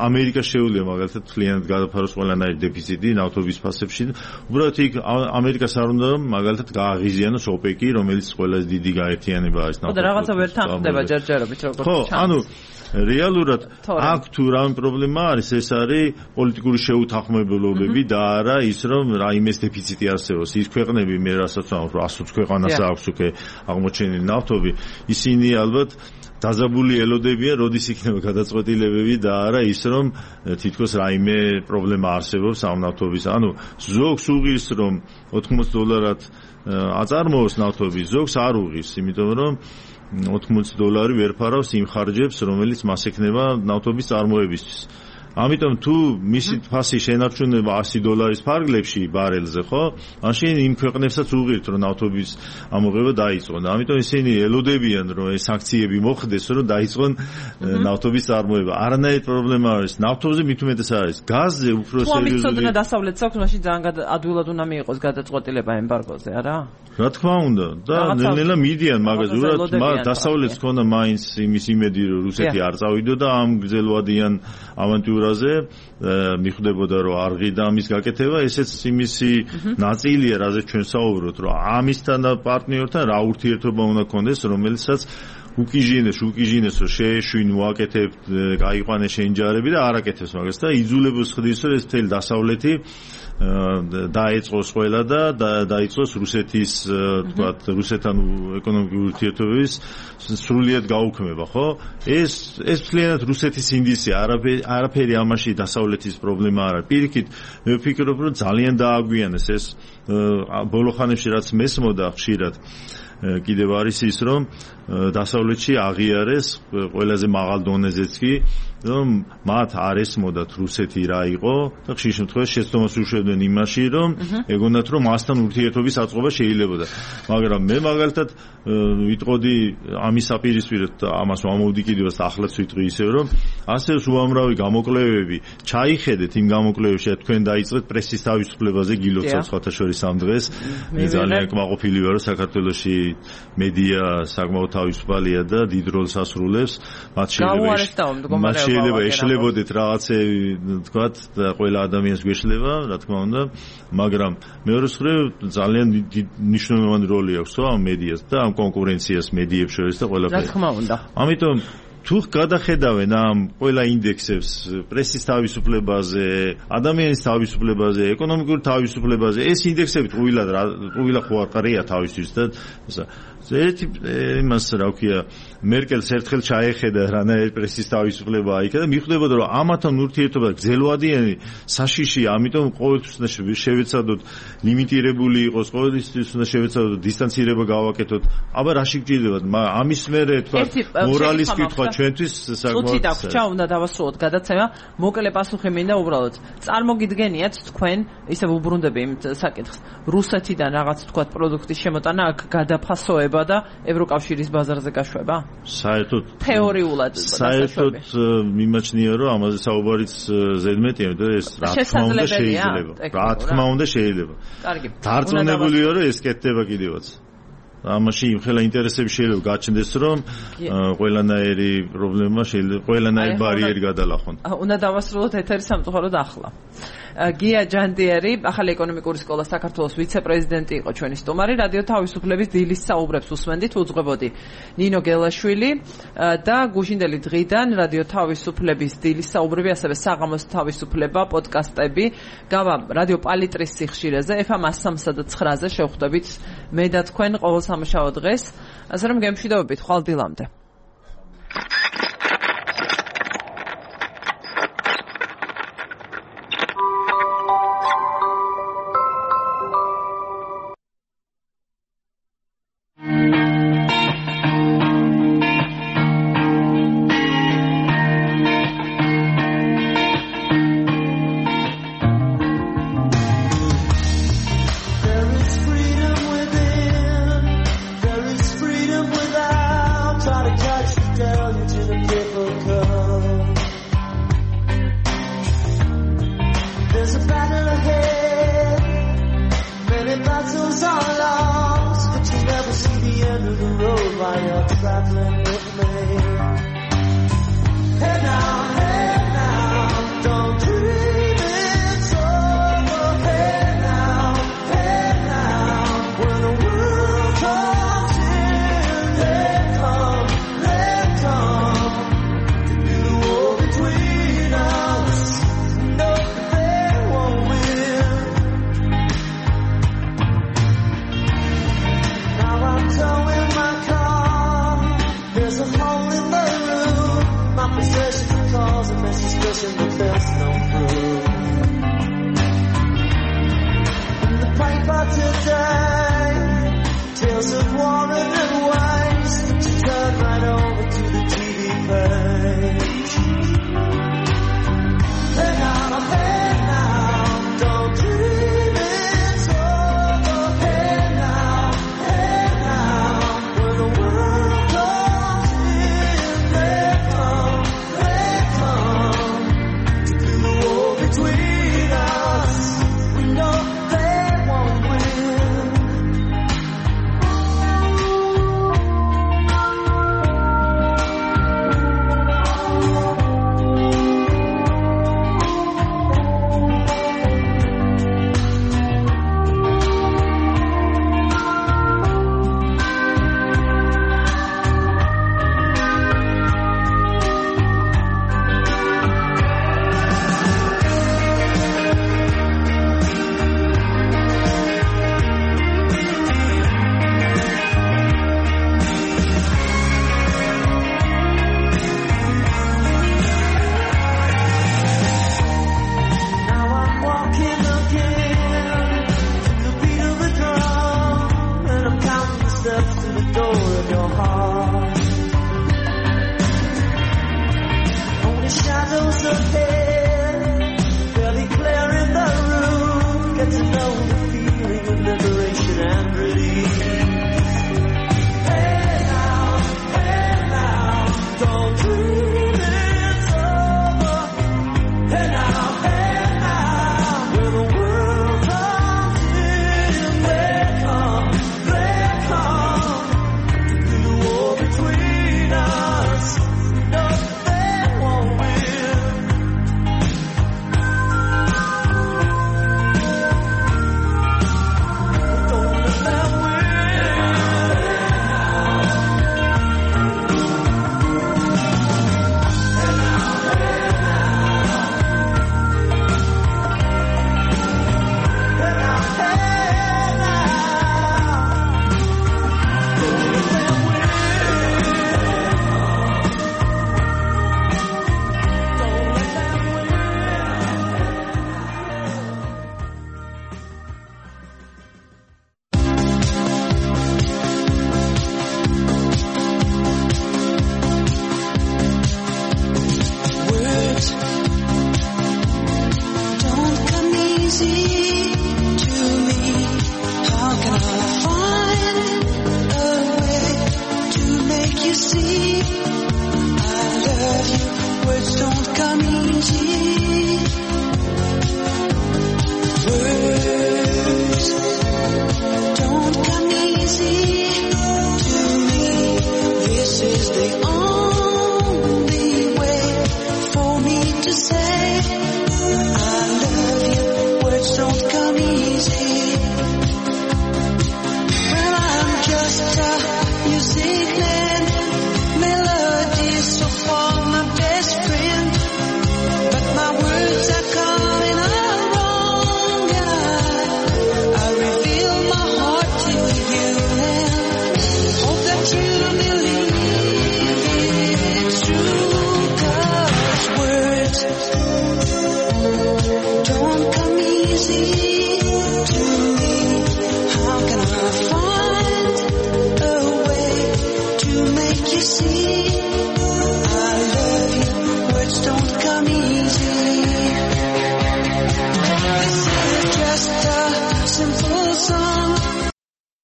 ამერიკა შეუძლია მაგალითად მთლიანად გადაფაროს ყველანაირი დეფიციტი ნავთობის ფასებში. უბრალოდ იქ ამერიკას არ უნდა რომ მაგალითად გააღიზიანოს ოპეკი, რომელიც ყველაზე დიდი გაერთიანება არის ნავთობის. და რაღაცა ვერ თანხდება ჯერჯერობით როგორც ხო, ანუ რეალურად აქ თუ რამე პრობლემა არის, ეს არის პოლიტიკური შეუთანხმებულობები და არა ის რომ რაიმეს დეფიციტი არსებობს. ის ქვეყნები მე რასაც ვამბობ, 120 ქვეყანას აქვს უკვე აღმოჩენილი ნავთობი, ისინი ალბათ დაძაბული ელოდებიან, როდის იქნება გადაწყვეტილებები და არა ის რომ თითქოს რაიმე პრობლემა არსებობს ამ ნავთობის. ანუ ზოგს უღირს რომ $80 აწარმოოს ნავთობის, ზოგს არ უღირს, იმიტომ რომ $80 ვერ ფარავს იმ ხარჯებს, რომელიც მას ექნება ნავთობის წარმოებისთვის. ამიტომ თუ მისი ფასი შენარჩუნება $100 ფარგლებში ბარელზე, ხო? მაშინ იმ ქვეყნებსაც უღირთ, რომ ნავთობის ამოღება დაიწყონ. ამიტომ ისინი ელოდებიან, რომ ეს სანქციები მოხდეს, რომ დაიწყონ ნავთობის წარმოება. არანაირი პრობლემა არის. ნავთობზე მით უმეტეს არის. გაზზე უფრო სერიოზული. თუ ამის დასავლეთს აქვს, მაშინ ძალიან ადვილად უნდა მიიღოს გადაწყვეტილება ემბარგოზე, არა? რა თქმა უნდა, და ნელ-ნელა მიდიან მაგაზე. უბრალოდ დასავლეთს ქონდა მაინც იმის იმედი, რომ რუსეთი არ წავიდო და ამ გრძელვადიან ავანტიურაზე მიხვდებოდა, რომ არ ღირდა ამის გაკეთება. ესეც იმისი ნაწილია, რაზეც ჩვენ საუბრობთ, რომ ამისთან და პარტნიორთან რა ურთიერთობა უნდა ქონდეს, რომელიცაც უკიჟინეს, რომ შეეშვინ, მოაკეთებთ, გაიყვანე შენჯარები და არ აკეთებს მაგას და იძულებს ხდის, რომ ეს მთელი დასავლეთი დაეწყოს ყველა და დაიწყოს რუსეთის, თქვათ, რუსეთთან ეკონომიკური ურთიერთობების სრულიად გაუქმება, ხო? ეს მთლიანად რუსეთის ინდისია, არაფერი ამაში დასავლეთის პრობლემა არ არის. პირიქით, მე ვფიქრობ, რომ ძალიან დააგვიანეს ეს ბოლო ხანებში რაც მესმოდა ხშირად. კიდევ არის ის, რომ დასავლეთში აღიარეს ყველაზე მაღალ დონეზეც კი, რომ მათ არ ესმოდათ რუსეთი რა იყო და ხშირ შემთხვევაში შეცდომას უშვებდნენ იმაში, რომ ეგონათ, რომ მასთან ურთიერთობის აწყობა შეიძლებოდა. მაგრამ მე მაგალითად ვიტყოდი ამის საპირისპიროდ და ამას ვამოვდი კიდევაც ახლაც ვიტყვი ისევ, რომ ასევე უამრავი გამოკვლევები ჩაიხედეთ იმ გამოკვლევებში, თქვენ დაიწყეთ პრესის თავისუფლებაზე გილოცავ სხვათა შორის ამ დღეს. მე ძალიან კმაყოფილი ვარ, რომ საქართველოში მედია საკმაოდ თავისუფალია და დიდ როლს ასრულებს. მათ შეიძლება ეშლებოდეთ რაღაცები, თქვათ, და ყველა ადამიანს გვეშლება, რა თქმა უნდა, მაგრამ მეორეს მხრივ ძალიან მნიშვნელოვანი როლი აქვს ამ მედიას და ამ კონკურენციას მედიებს შორის და ყველაფერი. რა თქმა უნდა. ამიტომ თუ გადახედავენ ამ ყველა ინდექსებს პრესის თავისუფლებაზე, ადამიანის თავისუფლებაზე, ეკონომიკური თავისუფლებაზე, ეს ინდექსები ტყუილა ხო არ ყრია თავისთვის და ერთი იმას რა ვქია მერკელს ერთხელ ჩაეხედა რანაირ პრესის თავისუფლება აიქა და მიხვდებოდა რომ ამათან ურთიერთობა გრძელვადიანი საშიში, ამიტომ ყოველთვის უნდა შევეცადოთ ლიმიტირებული იყოს, ყოველთვის უნდა შევეცადოთ დისტანცირება გავაკეთოთ. აბა რა შეგჭირდებათ? ამის მერე თქვა მორალის კითხვა ჩვენთვის საკმაოდ წუთი დაგვრჩა, უნდა დავასრულოთ გადაცემა. მოკლე პასუხი მინდა უბრალოდ. წარმოგიდგენიათ თქვენ ისე უბრუნდები იმ საკითხს. რუსეთიდან რაღაც თქვა პროდუქტის შემოტანა აქ გადაფასოება და ევროკავშირის ბაზარზე გაშვება? საერთოდ თეორიულად მიმაჩნია რომ ამაზე საუბარიც ზედმეტია და ეს რა თქმა უნდა შეიძლება. რა თქმა უნდა შეიძლება. კარგი. დარწმუნებულია რომ ეს კეთდება კიდევაც. ამაში იმხელა ინტერესები შეიძლება გაჩნდეს რომ ყველანაირი პრობლემა შეიძლება ყველანაირი ბარიერი გადალახონ. უნდა დავასრულოთ ეთერი სამწუხაროდ ახლა. გია ჯანდიერი, ახალი ეკონომიკური სკოლა საქართველოს ვიცე-პრეზიდენტი იყო ჩვენი სტუმარი, რადიო თავისუფლების დილის საუბრებს უსმენდით, უძღვებოდი ნინო გელაშვილი და გუშინდელი დღიდან რადიო თავისუფლების დილის საუბრები, ასევე საღამოს თავისუფლება, პოდკასტები, გავა რადიო პალიტრის სიხშირეზე, FM 103-ზე შევხვდებით მე და თქვენ ყოველ სამშაბათ დღეს, ასე რომ გემშვიდობებით, ხვალ დილამდე. Words don't come easy. Words